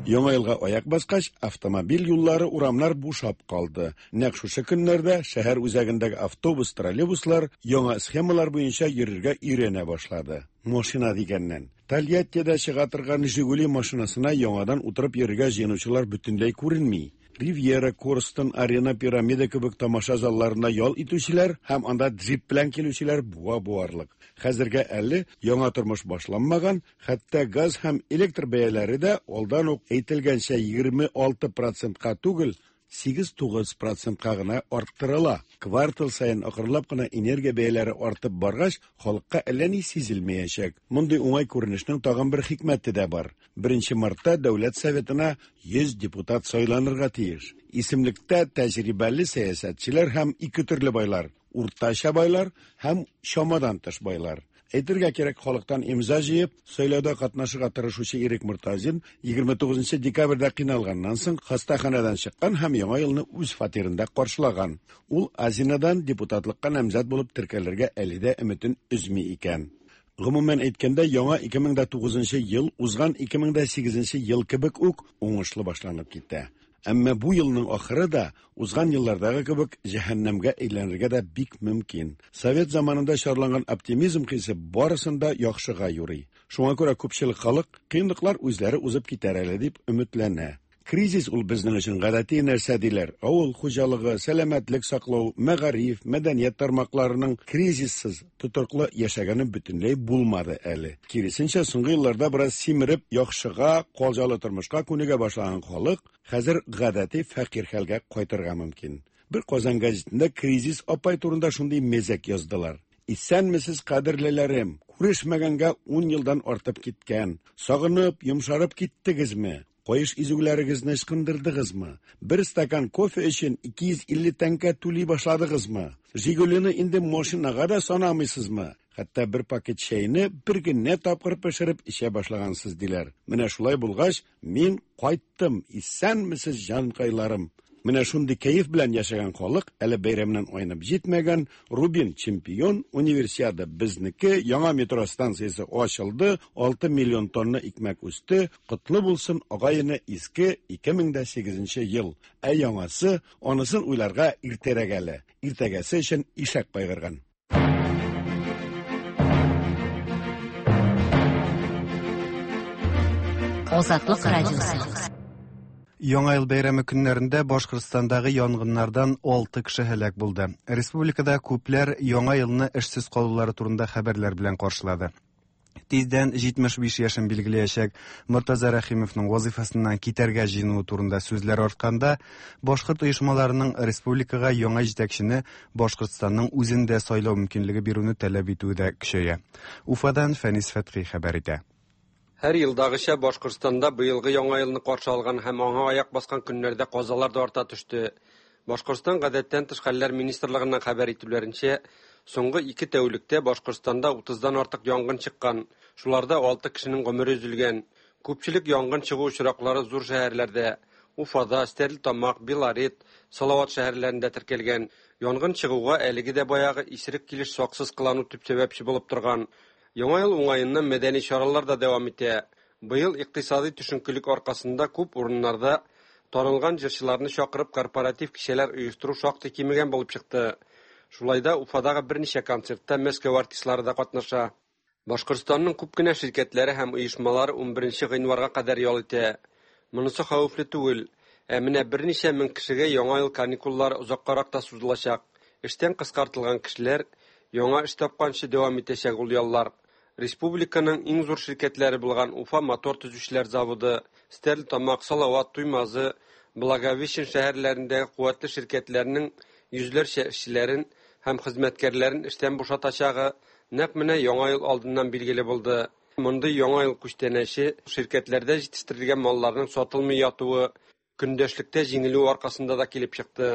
Яңа елга аяк баскач, автомобиль юллары, урамнар бушап калды. Нәкъ шушы көннәрдә шәһәр үзәгендәге автобус, троллейбуслар яңа схемалар буенча йөрергә өйрәнә башлады. Машина дигәннән, Тольяттида чыга торган Жигули машинасына яңадан утырып йөрергә җыенучылар бөтенләй күренми. Ривьера, Корстон, Арена, Пирамида кебек тамаша залларында ял итүчеләр һәм анда джип белән килүчеләр буа буарлык. Хәзергә әле яңа тормыш башланмаган, хәтта газ һәм электр бәяләре дә алдан ук әйтелгәнчә 26 процентка түгел, 8-9 процентка гына арттырыла. Квартал саен акрынлап кына энергия бәяләре артып баргач, халыкка әллә ни сизелмәячәк. Мондый уңай күренешнең тагын бер хикмәте дә бар. 1 мартта Дәүләт Советына 100 депутат сайланырга тиеш. Исемлектә тәҗрибәле сәясәтчеләр һәм ике төрле байлар: уртача байлар һәм чамадан тыш байлар. Әйтергә кирәк, халыктан имза җыеп, сайлауда катнашырга тырышучы Ирек Мортазин 29 декабрьдә кыйналганнан соң хастаханәдән чыккан һәм яңа елны үз фатирында каршылаган. Ул Азинадан депутатлыкка намзәт булып теркәлергә әле дә өметен өзми икән. Гомумән әйткәндә, яңа 2009 ел узган 2008 ел кебек үк уңышлы башланып китә. Әмма бу елның ахыры да узган еллардагы кебек җәһәннәмгә әйләнергә дә бик мөмкин. Совет заманында чарланган оптимизм хисе барысын да яхшыга юрый. Шуңа күрә күпчелек халык кыенлыклар үзләре узып китәр әле дип өметләнә. Кризис ул безнең өчен гадәти нәрсә диләр. Авыл хуҗалыгы, сәламәтлек саклау, мәгариф, мәдәният тармакларының кризиссыз тотрыклы яшәгәне бөтенләй булмады әле. Киресенчә, соңгы елларда бераз симереп, яхшыга, калҗалы тормышка күнегә башлаган халык хәзер гадәти фәкыйрь хәлгә кайтырга мөмкин. Бер Казан газетында кризис апай турында шундый мәзәк яздылар. Исәнмесез, кадерлеләрем! Күрешмәгәнгә 10 елдан артып киткән. Сагынып, йомшарып киттегезме? Каеш изүләрегезне ычкындырдыгызмы? Бер стакан кофе өчен 250 тәңкә түли башладыгызмы? Жигулины инде машинага да санамыйсызмы? Хәтта бер пакет чәйне бер генә тапкыр пешереп эчә башлагансыз диләр. Менә шулай булгач, мин кайттым. Исәнмесез, җанкайларым. Менә шундый кәеф белән яшәгән халык әле бәйрәмнән айнып җитмәгән, Рубин чемпион, универсиада безнеке, яңа метро станциясе ачылды, 6 миллион тонна икмәк үсте, котлы булсын агай-эне иске 2008 ел. Ә яңасы, анысын уйларга иртәрәк әле. Иртәгәсе өчен ишәк кайгырган. Азатлык радиосы. Яңа ел бәйрәме көннәрендә Башкортстандагы янгыннардан 6 кеше һәлак булды. Республикада күпләр яңа елны эшсез калулары турында хәбәрләр белән каршылады. Тиздән 75 яшен билгеләячәк Мортаза Рәхимовның вазифасыннан китәргә җыенуы турында сүзләр артканда, башкорт оешмаларының республикага яңа җитәкчене Башкортстанның үзендә сайлау мөмкинлеге бирүне таләп итүе дә көчәя. Уфадан Фәнис Фәтхи хәбәр итә. Һәр елдагыча Башкортстанда быелгы яңа елны каршы алган һәм аңа аяк баскан көннәрдә казалар да арта төште. Башкортстан гадәттән тыш хәлләр министрлыгыннан хәбәр итүләренчә, соңгы 2 тәүлектә Башкортстанда 30-дан артык янгын чыккан. Шуларда 6 кешенең гомере өзелгән. Күпчелек янгын чыгу очраклары зур шәһәрләрдә: Уфада, Стәрлетамак, Белорет, Салават шәһәрләрендә теркәлгән. Янгын чыгуга әлеге дә баягы исерек килеш саксыз кылану төп сәбәпче булып торган. Яңа ел уңаеннан мәдәни чаралар да дәвам итә. Быел икътисади төшенкелек аркасында күп урыннарда танылган җырчыларны чакырып корпоратив кичәләр оештыру шактый кимегән булып чыкты. Шулай да Уфадагы берничә концертта Мәскәү артистлары да катнаша. Башкортстанның күп кенә ширкәтләре һәм оешмалары 11 гыйнварга кадәр ял итә. Монысы хәвефле түгел. Ә менә берничә мең кешегә яңа ел каникуллары озаккарак та сузылачак. Эштән кыскартылган кешеләр яңа эш тапканчы дәвам итәчәк ул яллар. Республиканың иң зур ширкәтләре булган Уфа мотор төзүчеләр заводы, Стәрлетамак, Салават, Туймазы, Благовещен шәһәрләрендәге куәтле ширкәтләрнең йөзләрчә эшчеләрен һәм хезмәткәрләрен эштән бушатачагы нәкъ менә Яңа ел алдыннан билгеле булды. Мондый Яңа ел күчтәнәче ширкәтләрдә җитештерелгән малларның сатылмый ятуы, көндәшлектә җиңелү аркасында да килеп чыкты.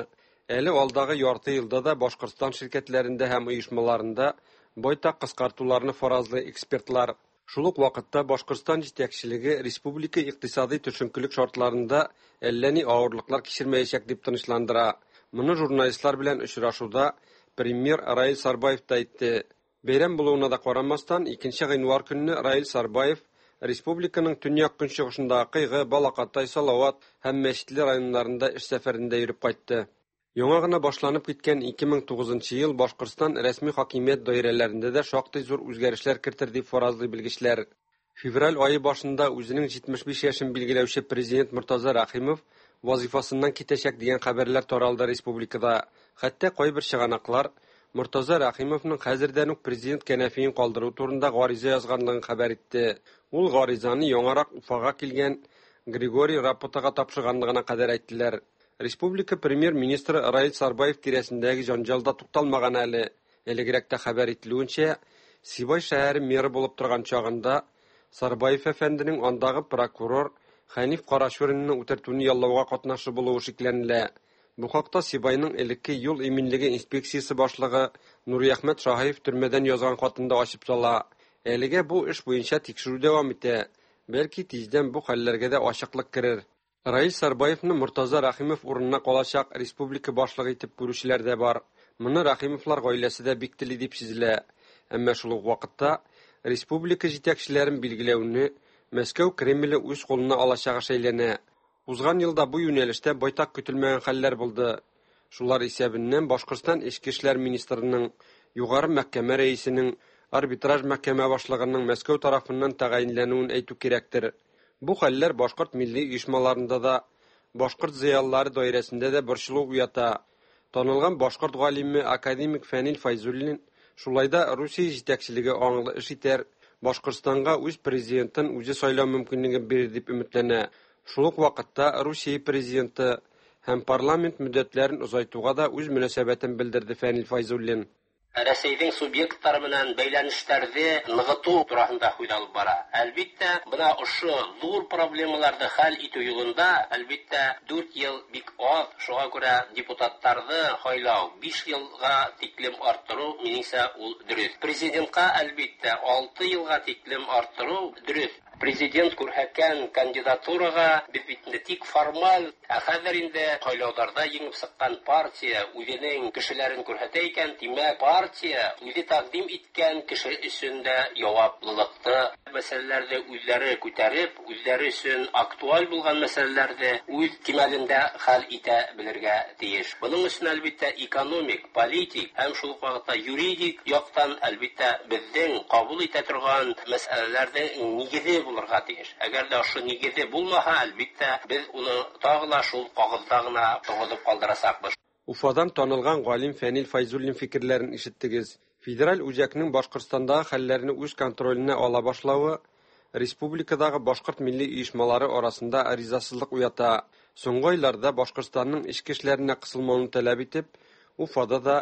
Әле алдагы ярты елда да Башкортстан ширкәтләрендә һәм оешмаларында байтак кыскартуларны фаразлый экспертлар. Шул ук вакытта Башкортстан җитәкчелеге республика икътисадый төшенкелек шартларында әллә ни авырлыклар кичермәячәк дип тынычландыра. Моны журналистлар белән очрашуда премьер Раил Сарбаев та әйтте. Бәйрәм булуына да карамастан, 2 гыйнвар көнне Раил Сарбаев республиканың төньяк-көнчыгышындагы Кыйгы, Балакатай, Салават һәм Мәчетле районнарында эш сәфәрендә йөреп кайтты. Яңа гына башланып киткән 2009 ел Башкортстан рәсми хакимият даирәләрендә дә шактый зур үзгәрешләр кертер дип фаразлый белгечләр. Февраль ае башында үзенең 75 яшен билгеләүче президент Мортаза Рәхимов вазифасыннан китәчәк дигән хәбәрләр таралды республикада. Хәтта кайбер чыганаклар Мортаза Рәхимовның хәзердән үк президент кәнәфиен калдыру турында гариза язганлыгын хәбәр итте. Ул гаризаны яңарак Уфага килгән Григорий Рапотага тапшырганлыгына кадәр әйттеләр. Республика премьер-министры Раил Сарбаев тирәсендәге җанҗал да тукталмаган әле. Элегрәк тә хәбәр ителүенчә, Сибай шәһәре мэры булып торган чагында Сарбаев әфәнденең андагы прокурор Хәниф Карачуринны үтертүне яллауга катнашы булуы шикләнелә. Бу хакта Сибайның элекке юл иминлеге инспекциясе башлыгы Нуриәхмәт Шаһиев төрмәдән язган хатында ачып сала. Әлегә бу эш буенча тикшерү дәвам итә. Бәлки тиздән бу хәлләргә дә ачыклык керер. Раил Сарбаевны Мортаза Рәхимов урынына калачак республика башлыгы итеп күрүчеләр дә бар. Моны Рәхимовлар гаиләсе дә бик тели дип сизелә. Әмма шул ук вакытта республика җитәкчеләрен билгеләүне Мәскәү Кремле үз кулына алачагы шәйләнә. Узган елда бу юнәлештә байтак көтелмәгән хәлләр булды. Шулар исәбеннән Башкортстан эчке эшләр министрының, Югары мәхкәмә рәисенең, арбитраж мәхкәмә башлыгының Мәскәү тарафыннан тәгаенләнүен әйтү кирәктер. Бу хәлләр башкорт милли оешмаларында да, башкорт зыялылары даирәсендә дә борчылу уята. Танылган башкорт галиме академик Фәнил Фәйзуллин шулай да Русия җитәкчелеге аңлы эш итәр, Башкортстанга үз президентын үзе сайлау мөмкинлеген бирер дип өметләнә. Шул ук вакытта Русия президенты һәм парламент мөддәтләрен озайтуга да үз мөнәсәбәтен белдерде Фәнил Фәйзуллин. Рәсәйҙең субъекттары менән бәйләнештәрҙе нығытыу тураһында һүҙ алып бара. Әлбиттә, бына ошо ҙур проблемаларҙы хәл итеү юлында, әлбиттә, 4 йыл бик аҙ, шуға күрә депутаттарҙы һайлау 5 йылға тиклем арттырыу, минеңсә, ул дөрөҫ. Президентҡа, әлбиттә, 6 йылға тиклем арттырыу дөрөҫ. Президент күрһәткән кандидатураға беҙ бит инде тик формаль, ә хәҙер инде һайлауҙарҙа еңеп сыҡҡан партия үҙенең кешеләрен күрһәтә икән, тимәк, партия үҙе тәҡдим иткән кеше өсөн дә яуаплылыҡты, мәсьәләләрҙе үҙҙәре күтәреп, үҙҙәре өсөн актуаль булған мәсьәләләрҙе үҙ кимәлендә хәл итә белергә тейеш. Бының өсөн, әлбиттә, экономик, политик һәм шул уҡ ваҡытта юридик яҡтан, әлбиттә, беҙҙең ҡабул итә торған мәсьәләләрҙең нигеҙе булырға тейеш. Әгәр ҙә ошо нигеҙе булмаһа, әлбиттә, беҙ уны тағы ла шул ҡағыҙҙа ғына торғоҙоп ҡалдырасаҡбыҙ. Уфадан танылган галим Фәнил Фәйзуллин фикерләрен ишеттегез. Федераль үзәкнең Башкортстандагы хәлләрне үз контроленә ала башлавы республикадагы башкорт милли оешмалары арасында ризасызлык уята. Соңгы айларда Башкортстанның эчке эшләренә кысылмауны таләп итеп, Уфада да,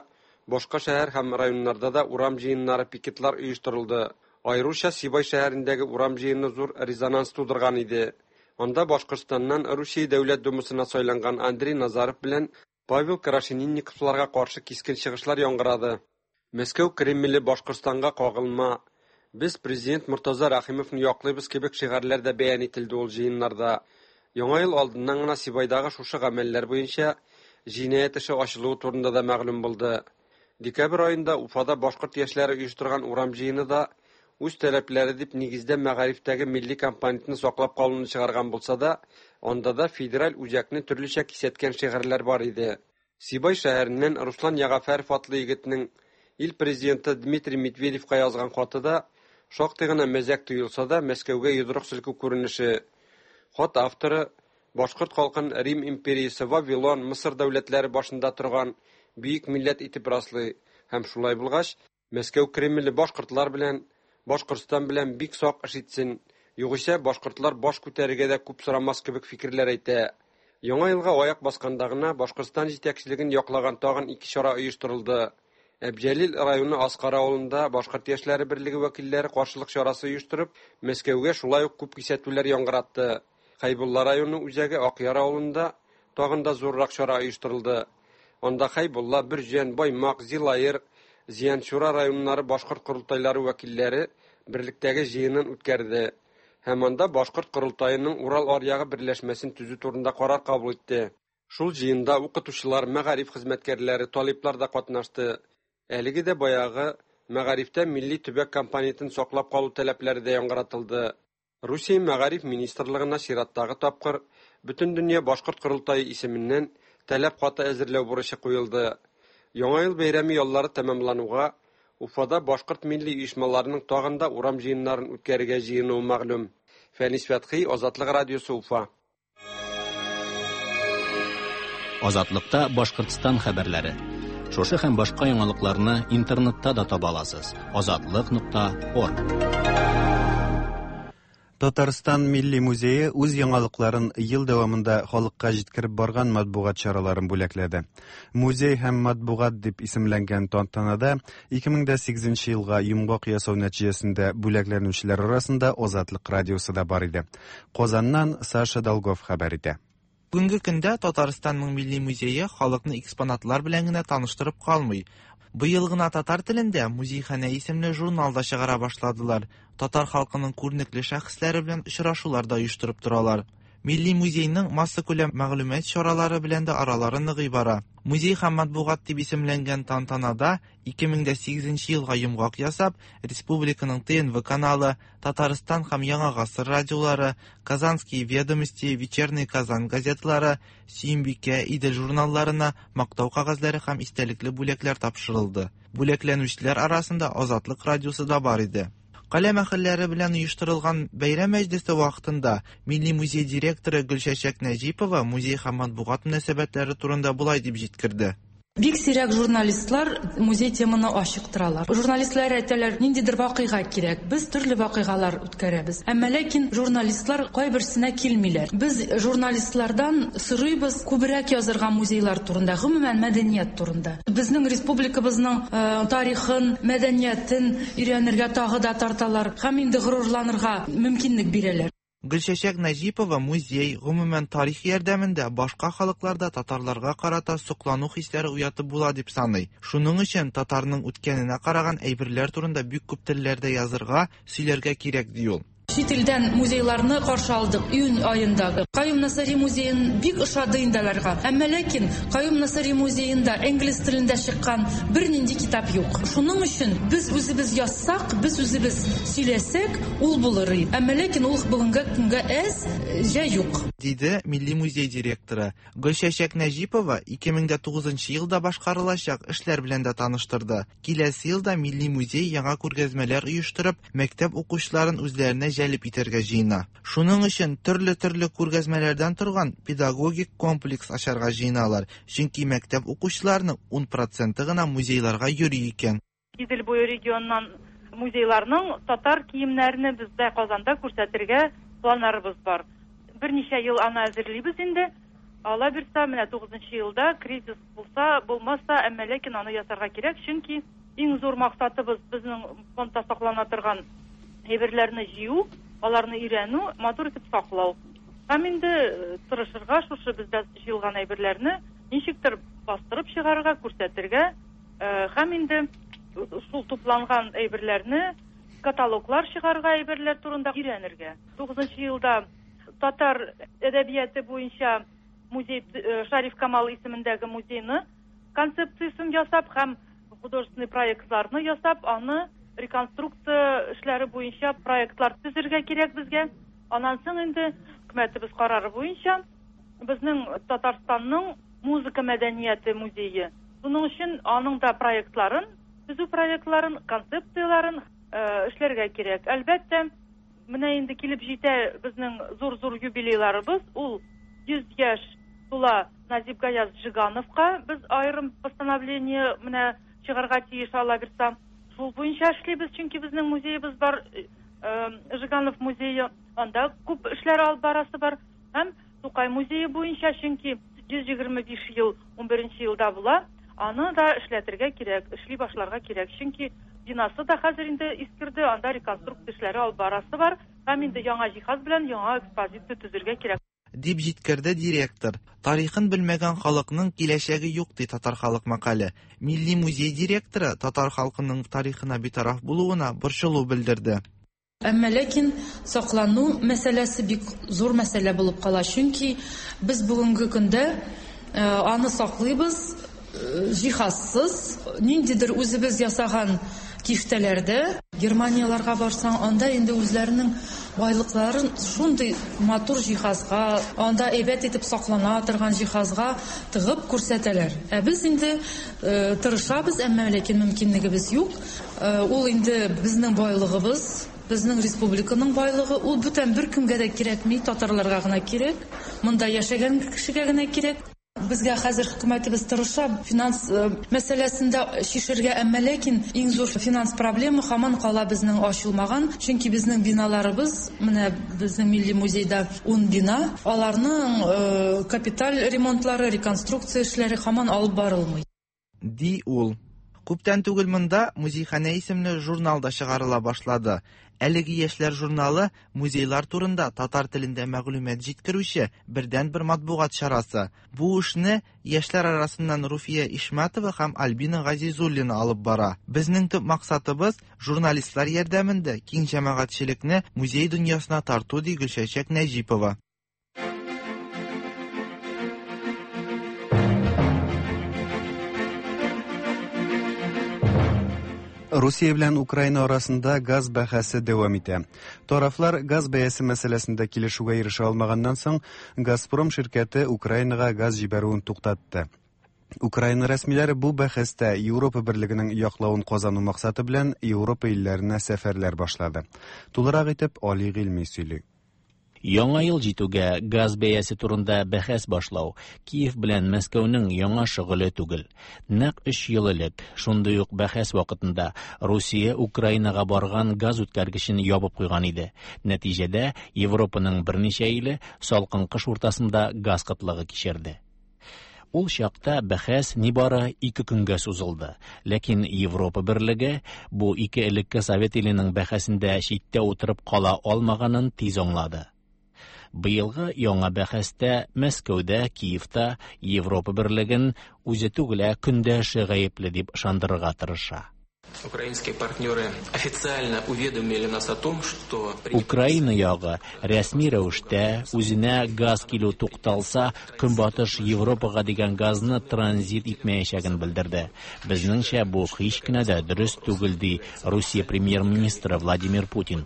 башка шәһәр һәм районнарда да урам җыеннары, пикетлар оештырылды. Аеруча Сибай шәһәрендәге урам җыены зур резонанс тудырган иде. Анда Башкортстаннан Русия Дәүләт Думасына сайланган Андрей Назаров белән Павел Крашенинниковларга каршы кискен чыгышлар яңгырады. Мәскәү Кремле Башкортстанга кагылма, без президент Мортаза Рәхимовны яклыйбыз кебек шигарьләр дә бәян ителде ул җыеннарда. Яңа ел алдыннан гына Сибайдагы шушы гамәлләр буенча җинаять эше ачылуы турында да мәгълүм булды. Декабрь аенда Уфада башкорт яшьләре оештырган урам җыены да үз таләпләре дип нигездә мәгарифтәге милли компонентны саклап калуны чыгарган булса да, анда да федераль үзәкне төрлечә кисәткән шигарьләр бар иде. Сибай шәһәреннән Руслан Ягафәров атлы егетнең ил президенты Дмитрий Медведевка язган хаты да Шактый гына мәзәк тоелса да, Мәскәүгә йодрык селкү күренеше. Хат авторы башкорт халкын Рим империясе, Вавилон, Мысыр дәүләтләре башында торган бөек милләт итеп раслый һәм шулай булгач, Мәскәү Кремле башкортлар белән, Башкортстан белән бик сак эш итсен, югыйсә башкортлар баш күтәрергә дә күп сорамас кебек фикерләр әйтә. Яңа елга аяк басканда гына Башкортстан җитәкчелеген яклаган тагын ике чара оештырылды. Әбҗәлил районы Аскар авылында Башкорт яшьләре берлеге вәкилләре каршылык чарасы оештырып, Мәскәүгә шулай ук күп кисәтүләр яңгыратты. Хәйбулла районы үзәге Акъяр авылында тагын да зуррак чара оештырылды. Анда Хәйбулла, Бөрҗән, Баймак, Зилаер, Зианчура районнары башкорт корылтайлары вәкилләре берлектәге җыенын үткәрде һәм анда Башкорт корылтаеның Урал аръягы берләшмәсен төзү турында карар кабул итте. Шул җыенда укытучылар, мәгариф хезмәткәрләре, талиплар да катнашты. Әлеге дә баягы мәгарифтә милли төбәк компонентын саклап калу таләпләре дә яңгыратылды. Русия мәгариф министрлыгына чираттагы тапкыр Бөтендөнья башкорт корылтае исеменнән таләп хаты әзерләү бурычы куелды. Яңа ел бәйрәме яллары тәмамлануга Уфада башкорт милли оешмаларының тагын да урам җыеннарын үткәрергә җыенуы мәгълүм. Фәнис Фәтхи, Азатлык радиосы, Уфа. Азатлыкта Башкортстан хәбәрләре. Шушы һәм башка яңалыкларны интернетта да таба аласыз. Азатлык.орг. Татарстан Милли музее үз яңалыкларын ел дәвамында халыкка җиткереп барган матбугат чараларын бүләкләде. Музей һәм матбугат дип исемләнгән тантанада 2008 елга йомгак ясау нәтиҗәсендә бүләкләнүчеләр арасында Азатлык радиосы да бар иде. Казаннан Саша Долгов хәбәр итә. Бүгенге көндә Татарстанның Милли музее халыкны экспонатлар белән генә таныштырып калмый. Быел гына татар телендә Музейханә исемле журнал да чыгара башладылар. Татар халкының күренекле шәхесләре белән очрашулар да оештырып торалар. Милли музейның массакүләм мәгълүмат чаралары белән дә аралары ныгый бара. Музей һәм матбугат дип исемләнгән тантанада 2008 елга йомгак ясап, республиканың ТНВ каналы, Татарстан һәм Яңа гасыр радиолары, Казанские ведомости, Вечерний Казан газеталары, Сөембикә, Идел журналларына мактау кәгазьләре һәм истәлекле бүләкләр тапшырылды. Бүләкләнүчеләр арасында Азатлык радиосы да бар иде. Каләм әһелләре белән оештырылган бәйрәм мәҗлесе вакытында Милли музей директоры Гөлчәчәк Нәҗипова музей һәм матбугат мөнәсәбәтләре турында болай дип җиткерде. Бик сирәк журналистлар музей теманы ачыктыралар. Журналистлар әйтәләр, ниндидер вакыйга кирәк. Без төрле вакыйгалар үткәрәбез. Әмма ләкин журналистлар кайберсенә килмиләр. Без журналистлардан сорыйбыз күбрәк язырга музейлар турында, гомумән мәдәният турында. Безнең республикабызның э, тарихын, мәдәниятен өйрәнергә тагы да тарталар һәм инде горурланырга мөмкинлек бирәләр. Гөлчәчәк Нәҗипова музей, гомумән тарих ярдәмендә башка халыкларда татарларга карата соклану хисләре уятып була дип саный. Шуның өчен татарның үткәненә караган әйберләр турында бик күп телләрдә язырга, сөйләргә кирәк, ди ул. Чит илдән музейларны каршы алдык июнь аенда. Каюм Насыйри музеен бик ошады инде аларга. Әмма ләкин Каюм Насыйри музеенда инглиз телендә чыккан бернинди китап юк. Шуның өчен без үзебез язсак, без үзебез сөйләсәк, ул булыр. Әмма ләкин ул бүгенге көнгә әз, җә юк. Диде Милли музей директоры. Гөлчәчәк Нәҗипова 2009 елда башкарылачак эшләр белән дә таныштырды. Киләсе елда Милли музей яңа күргәзмәләр оештырып, мәктәп укучыларын үзләренә җәлеп итәргә җыена. Шуның өчен төрле-төрле күргәзмәләрдән торган педагогик комплекс ачарга җыеналар, чөнки мәктәп укучыларының 10 проценты гына музейларга йөри икән. Идел буе регионыннан музейларның татар киемнәрне бездә Казанда күрсәтергә планнарыбыз бар. Берничә ел аны әзерлибез инде. Алла бирса, менә 9 елда кризис булса, булмаса, әмма ләкин аны ясарга кирәк, чөнки иң зур максатыбыз безнең фондта саклана торган әйберләрне җыю, аларны өйрәнү, матур итеп саклау. Һәм инде э, тырышырга шушы бездә җыелган әйберләрне ничектер бастырып чыгарырга, күрсәтергә, Э, һәм инде шул тупланган әйберләрне каталоглар чыгарырга әйберләр турында өйрәнергә. 9 елда татар әдәбияты буенча музей э, Шариф Камал исемендәге музейны концепциясен ясап һәм художественный проектларны ясап, аны реконструкция эшләре буенча проектлар төзергә кирәк безгә. Аннан соң инде хөкүмәтебез карары буенча безнең Татарстанның музыка мәдәнияте музее. Шуның өчен аның да проектларын, төзү проектларын, концепцияләрен эшләргә кирәк. Әлбәттә, менә инде килеп җитә безнең зур-зур юбилейларыбыз. Ул 100 яшь тула Назип Гаяз Жигановка без аерым постановление менә чыгарга тиеш, Алла бирса. Шул буенча эшлибез, чөнки безнең музеебыз бар, Жиганов музее, анда күп эшләр алып барасы бар. Һәм Тукай музее буенча, чөнки 125 ел 11 елда була, аны да эшләтергә кирәк, эшли башларга кирәк. Чөнки бинасы да хәзер инде искерде, анда реконструкция эшләре алып барасы бар. Һәм инде яңа җиһаз белән яңа экспозиция төзергә кирәк. Дип җиткерде директор. Тарихын белмәгән халыкның киләчәге юк, ди татар халык мәкале. Милли музей директоры татар халкының тарихына битараф булуына борчылу белдерде. Әмма ләкин саклану мәсьәләсе бик зур мәсьәлә булып кала, чөнки без бүгенге көндә аны саклыйбыз җиһазсыз, ниндидер үзебез ясаган киштәләрдә. Германияләргә барсаң, анда инде үзләренең байлыкларын шундый матур җиһазга, анда әйбәт итеп саклана торган җиһазга тыгып күрсәтәләр. Ә без инде тырышабыз, әмма ләкин мөмкинлегебез юк. Ул инде безнең байлыгыбыз, безнең республиканың байлыгы. Ул бүтән беркемгә дә кирәкми, татарларга гына кирәк, монда яшәгән кешегә генә кирәк. Безгә хәзер хөкүмәтебез тырыша финанс мәсьәләсен дә чишергә, әмма ләкин иң зур финанс проблема һаман кала безнең ачылмаган, чөнки безнең биналарыбыз, менә безнең милли музейда 10 бина, аларның капиталь ремонтлары, реконструкция эшләре һаман алып барылмый. Ди ул. Күптән түгел монда Музейханә исемле журнал да чыгарыла башлады. Әлеге яшьләр журналы музейлар турында татар телендә мәгълүмат җиткерүче бердәнбер матбугат чарасы. Бу эшне яшьләр арасыннан Руфия Ишмәтова һәм Альбина Газизуллина алып бара. Безнең төп максатыбыз журналистлар ярдәмендә киң җәмәгатьчелекне музей дөньясына тарту, ди Гөлчәчәк Нәҗипова. Русия белән Украина арасында газ бәхәсе дәвам итә. Тарафлар газ бәясе мәсьәләсендә килешүгә ирешә алмаганнан соң, Газпром ширкәте Украинага газ җибәрүен туктатты. Украина рәсмиләре бу бәхәстә Европа берлегенең яклавын казану максаты белән Европа илләренә сәфәрләр башлады. Тулырак итеп Али Гыйльми сөйли. Яңа ел җитүгә газ бәясе турында бәхәс башлау Киев белән Мәскәүнең яңа шөгыле түгел. Нәкъ өч ел элек, шундый ук бәхәс вакытында, Русия Украинага барган газ үткәргечен ябып куйган иде. Нәтиҗәдә, Европаның берничә иле салкын кыш уртасында газ кытлыгы кичерде. Ул чакта бәхәс нибары ике көнгә сузылды. Ләкин Европа берлеге бу ике элекке совет иленең бәхәсендә читтә утырып кала алмаганын тиз аңлады. Быелгы яңа бәхәстә Мәскәүдә, Киевта Европа берлеген үзе түгел, ә көндәше гаепле дип ышандырырга тырыша. Украинские партнеры официально уведомили нас о том, что... Украина ягы рәсми рәвештә үзенә газ килү тукталса, Көнбатыш Европага дигән газны транзит итмәячәген белдерде. Безнеңчә, бу һич кенә дә дөрес түгел, ди Русия премьер-министры Владимир Путин.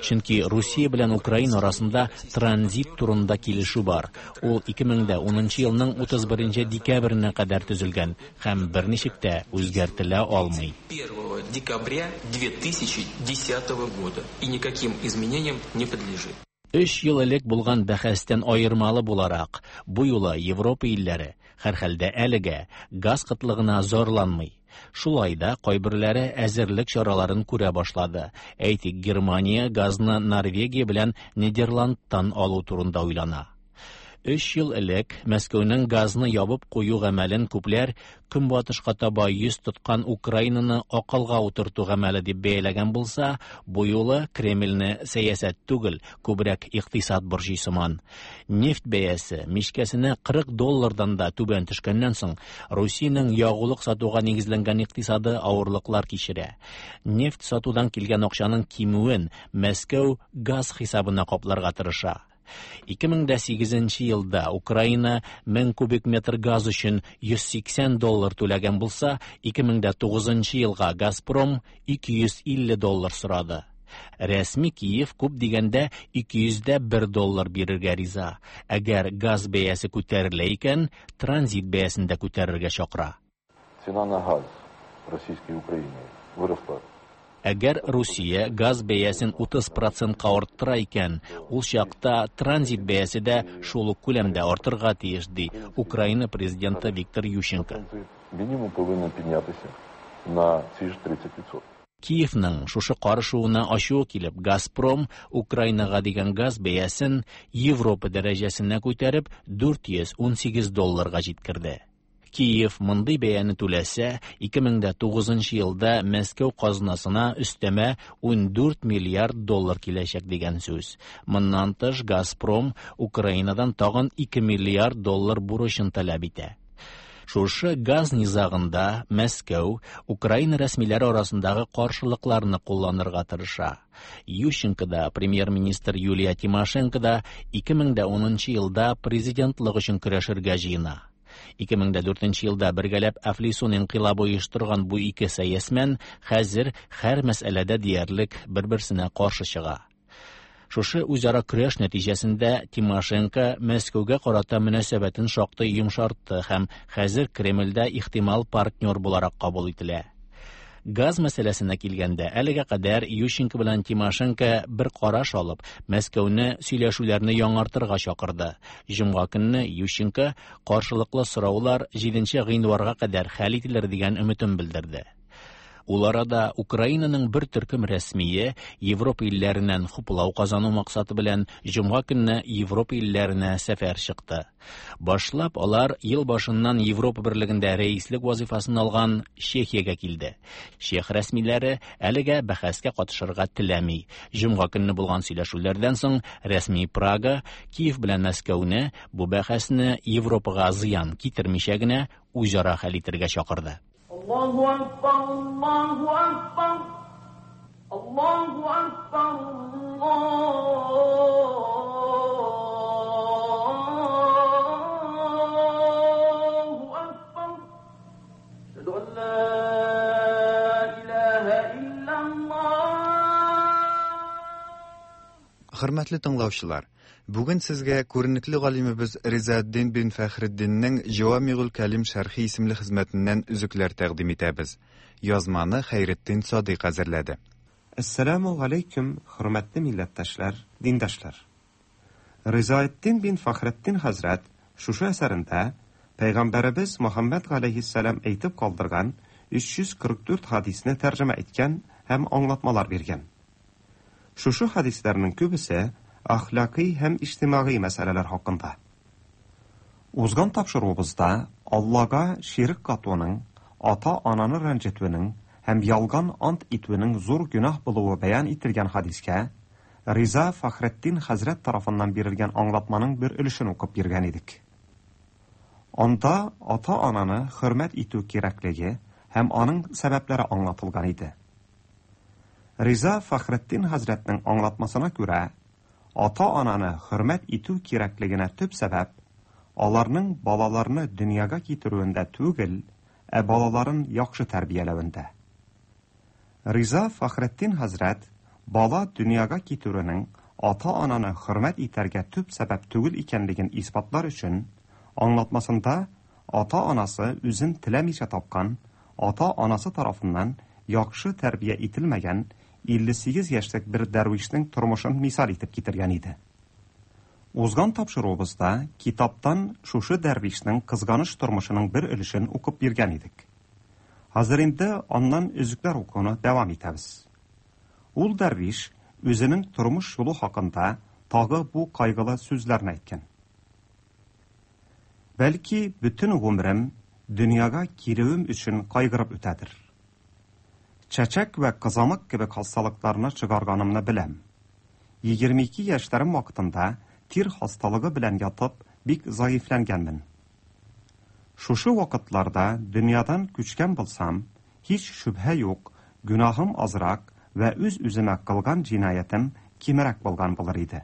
Чөнки Русия белән Украина арасында транзит турында килешү бар. Ул 2010 елның 31 декабренә кадәр төзелгән һәм берничек тә үзгәртелә алмый. 1 декабря 2010 года и никаким изменениям не подлежит. Өч ел элек булган бәхәстән аермалы буларак, бу юлы Европа илләре, һәрхәлдә әлегә, газ кытлыгына зарланмый. Шулай да кайберләре әзерлек чараларын күрә башлады. Әйтик, Германия газны Норвегия белән Нидерландтан алу турында уйлана. Өч ел элек Мәскәүнең газны ябып кую гамәлен күпләр Көнбатышка таба йөз тоткан Украинаны акылга утырту гамәле дип бәяләгән булса, бу юлы Кремльне сәясәт түгел, күбрәк икътисад борчый сыман. Нефть бәясе мичкәсенә 40 доллардан да түбән төшкәннән соң, Русиянең ягулык сатуга нигезләнгән икътисады авырлыклар кичерә. Нефть сатудан килгән акчаның кимүен Мәскәү газ хисабына капларга тырыша. 2008 елда Украина 1000 кубик метр газ өчен 180 доллар түләгән булса, 2009 елга Газпром 250 доллар сорады. Рәсми Киев күп дигәндә 201 доллар бирергә риза. Әгәр газ бәясе күтәрелә икән, транзит бәясен дә күтәрергә чакыра. Цена на газ российской Украине выросла. Әгәр Русия газ бәясен 30 процентка арттыра икән, ул чакта транзит бәясе дә шул ук күләмдә артырга тиеш, ди Украина президенты Виктор Ющенко. Мінімум повинен піднятися на ці ж 30%. Киевның шушы карышуына ачуы килеп, Газпром Украинага дигән газ бәясен Европа дәрәҗәсенә күтәреп 418 долларга җиткерде. Киев мондый бәяне түләсә, 2009 елда Мәскәү казнасына өстәмә 14 миллиард доллар киләчәк дигән сүз. Моннан тыш Газпром Украинадан тагын 2 миллиард доллар бурычын таләп итә. Шушы газ низагында Мәскәү Украина рәсмиләре арасындагы каршылыкларны кулланырга тырыша. Ющенко да, премьер-министр Юлия Тимошенко да 2010 елда президентлык өчен көрәшергә җыена. 2004 елда бергәләп әфлисун инкыйлабы оештырган бу ике сәясмән хәзер һәр мәсьәләдә диярлек бер-берсенә каршы чыга. Шушы үзара көрәш нәтиҗәсендә Тимошенко Мәскәүгә карата мөнәсәбәтен шактый йомшартты һәм хәзер Кремльдә ихтимал партнер буларак кабул ителә. Газ мәсьәләсенә килгәндә, әлегә кадәр Ющенко белән Тимошенко бер караш алып, Мәскәүне сөйләшүләрне яңартырга чакырды. Җомга көнне Ющенко каршылыклы сораулар 7 гыйнварга кадәр хәл ителер дигән өметен белдерде. Ул арада Украинаның бер төркем рәсмие Европа илләреннән хуплау казану максаты белән җомга көнне Европа илләренә сәфәр чыкты. Башлап алар ел башыннан Европа берлегендә рәислек вазифасын алган Чехиягә килде. Чех рәсмиләре әлегә бәхәскә катышырга теләми. Җомга көнне булган сөйләшүләрдән соң рәсми Прага Киев белән Мәскәүне бу бәхәсне Европага зыян китермичә генә үзара хәл итәргә чакырды. الله أكبر الله أكبر الله أكبر الله أكبر أشهد أن لا إله إلا الله Хөрмәтле тыңлаучылар, бүген сезгә күренекле галимебез Ризаэддин бин Фәхретдиннең Җавамигул Кәлим шәрхи исемле хезмәтеннән өзекләр тәкъдим итәбез. Язманы Хәйретдин Садыйк әзерләде. Әссәламү галәйкүм, хөрмәтле милләттәшләр, диндәшләр. Ризаэддин бин Фәхретдин хәзрәт шушы әсәрендә Пәйгамбәребез Мөхәммәд галәйһиссәлам әйтеп калдырган 344 хадисне тәрҗемә иткән һәм аңлатмалар биргән. Шушы хадисләрнең күбесе әхлакый һәм иҗтимагый мәсьәләләр хакында. Узган тапшыруыбызда Аллага ширк катуның, ата-ананы рәнҗетүнең һәм ялган ант итүнең зур гөнаһ булуы бәян ителгән хадискә Риза Фәхретдин хәзрәт тарафыннан бирелгән аңлатманың бер өлешен укып биргән идек. Анда ата-ананы хөрмәт итү кирәклеге һәм аның сәбәпләре аңлатылган иде. Риза Фәхретдин хәзрәтнең аңлатмасына күрә, ата-ананы хөрмәт итү кирәклегенә төп сәбәп аларның балаларны дөньяга китерүендә түгел, ә балаларын яхшы тәрбияләвендә. Риза Фәхретдин хәзрәт бала дөньяга китерүнең ата-ананы хөрмәт итәргә төп сәбәп түгел икәнлеген исбатлар өчен аңлатмасында ата-анасы үзен теләмичә тапкан, ата-анасы тарафыннан яхшы тәрбия ителмәгән 58 яшьлек бер дәрвишнең тормышын мисал итеп китергән иде. Узган тапшыруыбызда китаптан шушы дәрвишнең кызганыч тормышының бер өлешен укып биргән идек. Хәзер инде аннан өзекләр укуны дәвам итәбез. Ул дәрвиш үзенең тормыш юлы хакында тагы бу кайгылы сүзләрне әйткән. Бәлки бөтен гомерем дөньяга килүем өчен кайгырып үтәдер. Чәчәк вә кызамык кебек хасталыкларны чыгарганымны беләм. 22 яшьләрем вакытында тир хасталыгы белән ятып, бик заифләнгәнмен. Шушы вакытларда дөньядан күчкән булсам, һич шөбһә юк, гөнаһым азрак вә үз-үземә кылган җинаятем кимрәк булган булыр иде.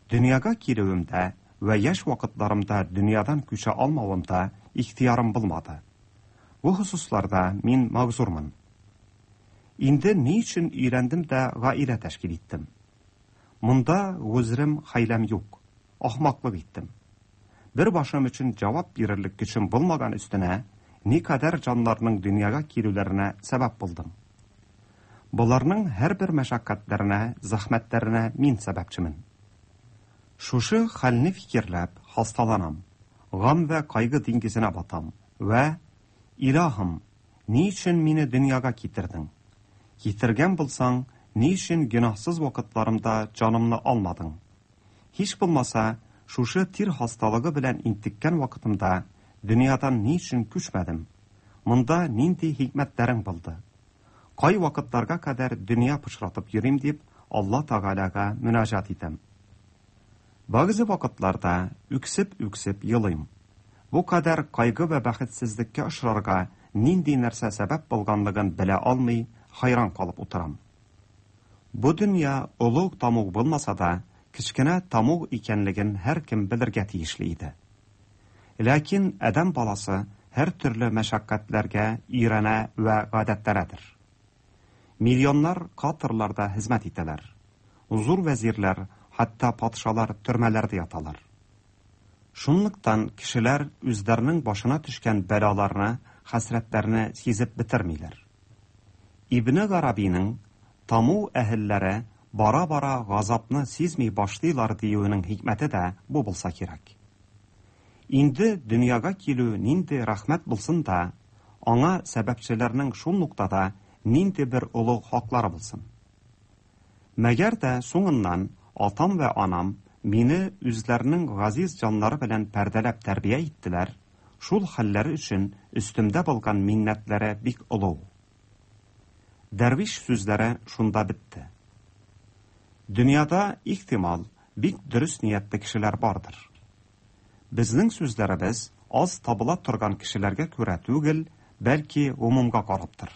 Дөньяга килүемдә вә яшь вакытларымда дөньядан күчә алмавымда ихтыярым булмады. Бу хосусларда мин магзурмын. Инде ни өчен өйләндем дә гаилә тәшкил иттем? Монда гозерем хәйләм юк. Ахмаклык иттем. Бер башым өчен җавап бирерлек көчем булмаган өстенә, никадәр җаннарның дөньяга килүләренә сәбәп булдым. Боларның һәрбер мәшәкатьләренә, зәхмәтләренә мин сәбәпчемен. Шушы хәлне фикерләп, хасталанам, гам вә кайгы диңгезенә батам вә, Илаһым, ни өчен мине дөньяга китердең? Китергән булсаң, ни өчен гөнаһсыз вакытларымда җанымны алмадың? Һич булмаса, шушы тир хасталыгы белән интеккән вакытымда дөньядан ни өчен күчмәдем? Монда нинди хикмәтләрең булды? Кай вакытларга кадәр дөнья пычратып йөрим дип, Алла Тәгаләгә мөнәҗәт итәм. Бәгъзе вакытларда үксеп-үксеп елыйм. Бу кадәр кайгы вә бәхетсезлеккә очрарга нинди нәрсә сәбәп булганлыгын белә алмый, хәйран калып утырам. Бу дөнья олуг тамуг булмаса да, кечкенә тамуг икәнлеген һәркем белергә тиешле иде. Ләкин адәм баласы һәртөрле мәшәкатьләргә өйрәнә вә гадәтләнәдер. Миллионнар катерларда хезмәт итәләр. Зур вәзирләр, хәтта патшалар төрмәләрдә яталар. Шунлыктан кешеләр үзләренең башына төшкән бәлаларны, хәсрәтләрне сизеп бетермиләр. Ибне Гарабиның Таму әһелләре бара-бара газапны сизми башлыйлар диюенең хикмәте дә бу булса кирәк. Инде дөньяга килү нинди рәхмәт булсын да, аңа сәбәпчеләрнең шул ноктада нинди бер олуг хаклары булсын. Мәгәр дә соңыннан атам вә анам мине үзләренең газиз җаннары белән пәрдәләп тәрбия иттеләр, шул хәлләре өчен өстемдә булган миннәтләре бик олуг. Дәрвиш сүзләре шунда бетте. Дөньяда, ихтимал, бик дөрес ниятле кешеләр бардыр. Безнең сүзләребез аз табыла торган кешеләргә күрә түгел, бәлки гомумга караптыр.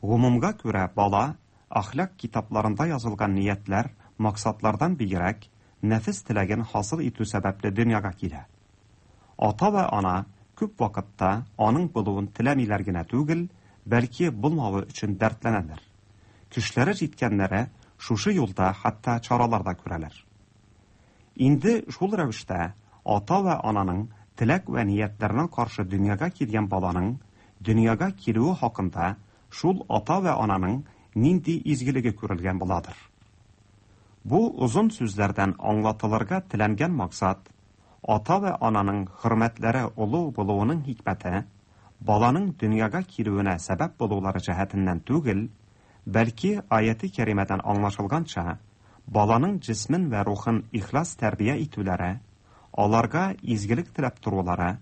Гомумга күрә бала, әхлак китапларында язылган ниятләр, максатлардан бигрәк, нәфес теләген хасил итү сәбәпле дөньяга килә. Ата вә ана күп вакытта аның булуын теләмиләр генә түгел, бәлки булмавы өчен дәртләнәләр. Көчләре җиткәннәре шушы юлда хәтта чаралар да күрәләр. Инде шул рәвештә ата вә ананың теләк вә ниятләренә каршы дөньяга килгән баланың дөньяга килүе хакында шул ата вә ананың нинди изгелеге күрелгән буладыр. Бу озын сүзләрдән аңлатылырга теләнгән максат, ата вә ананың хөрмәтләре олуг булуының хикмәте, баланың дөньяга килүенә сәбәп булулары җәһәтеннән түгел, бәлки аяте кәримәдән аңлашылганча, баланың җисмен вә рухын ихлас тәрбия итүләре, аларга изгелек теләп торулары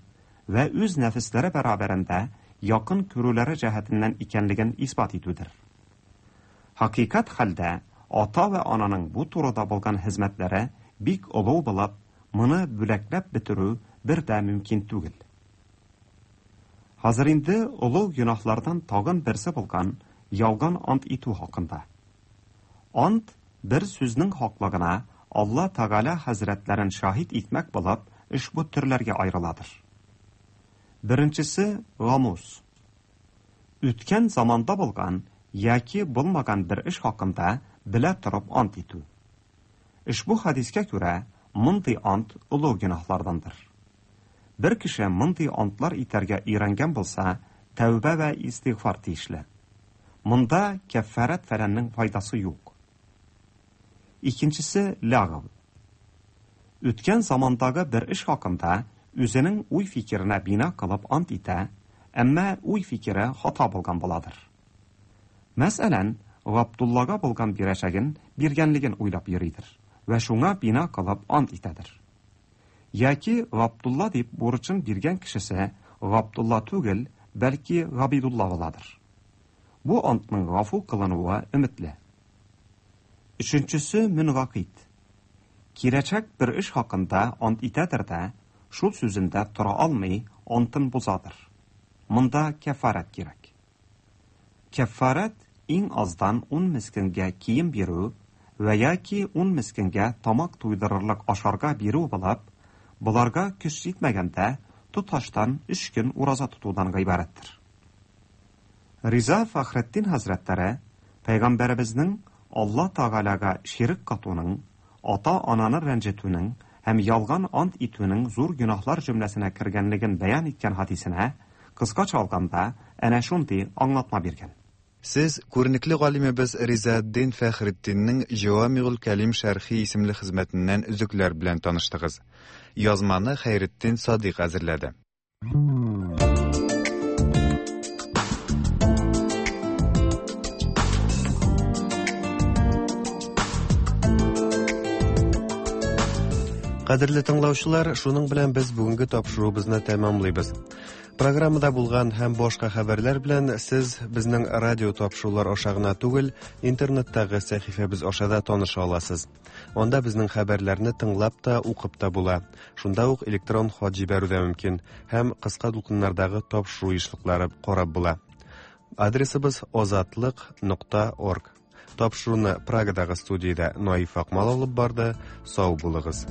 вә үз нәфесләре бәрабәрендә якын күрүләре җәһәтеннән икәнлеген исбат итүдер. Хакыйкать хәлдә ата вә ананың бу турыда булган хезмәтләре бик олуг булып, моны бүләкләп бетерү бер дә мөмкин түгел. Хәзер инде олуг гөнаһлардан тагын берсе булган ялган ант итү хакында. Ант бер сүзнең хаклыгына Алла Тәгалә хәзрәтләрен шаһит итмәк булып, ошбу төрләргә аерыладыр. Беренчесе гамус. Үткән заманда булган яки булмаган бер эш хакында белә торып ант итү. Ошбу хәдискә күрә, мондый ант олуг гөнаһлардандыр. Бер кеше мондый антлар итәргә өйрәнгән булса, тәүбә вә истигъфар тиешле. Монда кәффарәт фәләннең файдасы юк. Икенчесе ләгъв. Үткән замандагы бер эш хакында үзенең уй-фикеренә бина кылып ант итә, әмма уй-фикере хата булган буладыр. Мәсәлән, Габдуллага булган бирәчәген биргәнлеген уйлап йөридер вә шуңа бина кылып ант итәдер. Яки Габдулла дип бурычын биргән кешесе Габдулла түгел, бәлки Габидулла буладыр. Бу антның гафу кылынуы өметле. Өченчесе мөнгакыйт. Киләчәк бер эш хакында ант итәдер дә, шул сүзендә тора алмый, антын бозадыр. Монда кәффарәт кирәк. Кәффарәт иң аздан ун мескенгә кием бирү вә яки ун мескенгә тамак туйдырырлык ашарга бирү булып, боларга көч җитмәгәндә, тоташтан өч көн ураза тотудан гыйбарәттер. Риза Фәхретдин хәзрәтләре пәйгамбәребезнең Алла Тәгаләгә ширек катуның, ата-ананы рәнҗетүнең һәм ялган ант итүнең зур гөнаһлар җөмләсенә кергәнлеген бәян иткән хәдисенә, кыскача алганда, әнә шундый аңлатма биргән. Сез күренекле галимебез Ризаэддин Фәхретдиннең Җавамигул Кәлим шәрхи исемле хезмәтеннән өзекләр белән таныштыгыз. Язманы Хәйретдин Садыйк әзерләде. Кадерле тыңлаучылар, шуның белән без бүгенге тапшыруыбызны тәмамлыйбыз. Программада булган һәм башка хәбәрләр белән сез безнең радио тапшырулар аша гына түгел, интернеттагы сәхифәбез аша да таныша аласыз. Анда безнең хәбәрләрне тыңлап та, укып та була. Шунда ук электрон хат җибәрү дә мөмкин һәм кыска дулкыннардагы тапшыру ешлыклары карап була. Адресыбыз озатлык.орг. Тапшыруны Прагадагы студиядә Наиф Акмал алып барды. Сау булыгыз.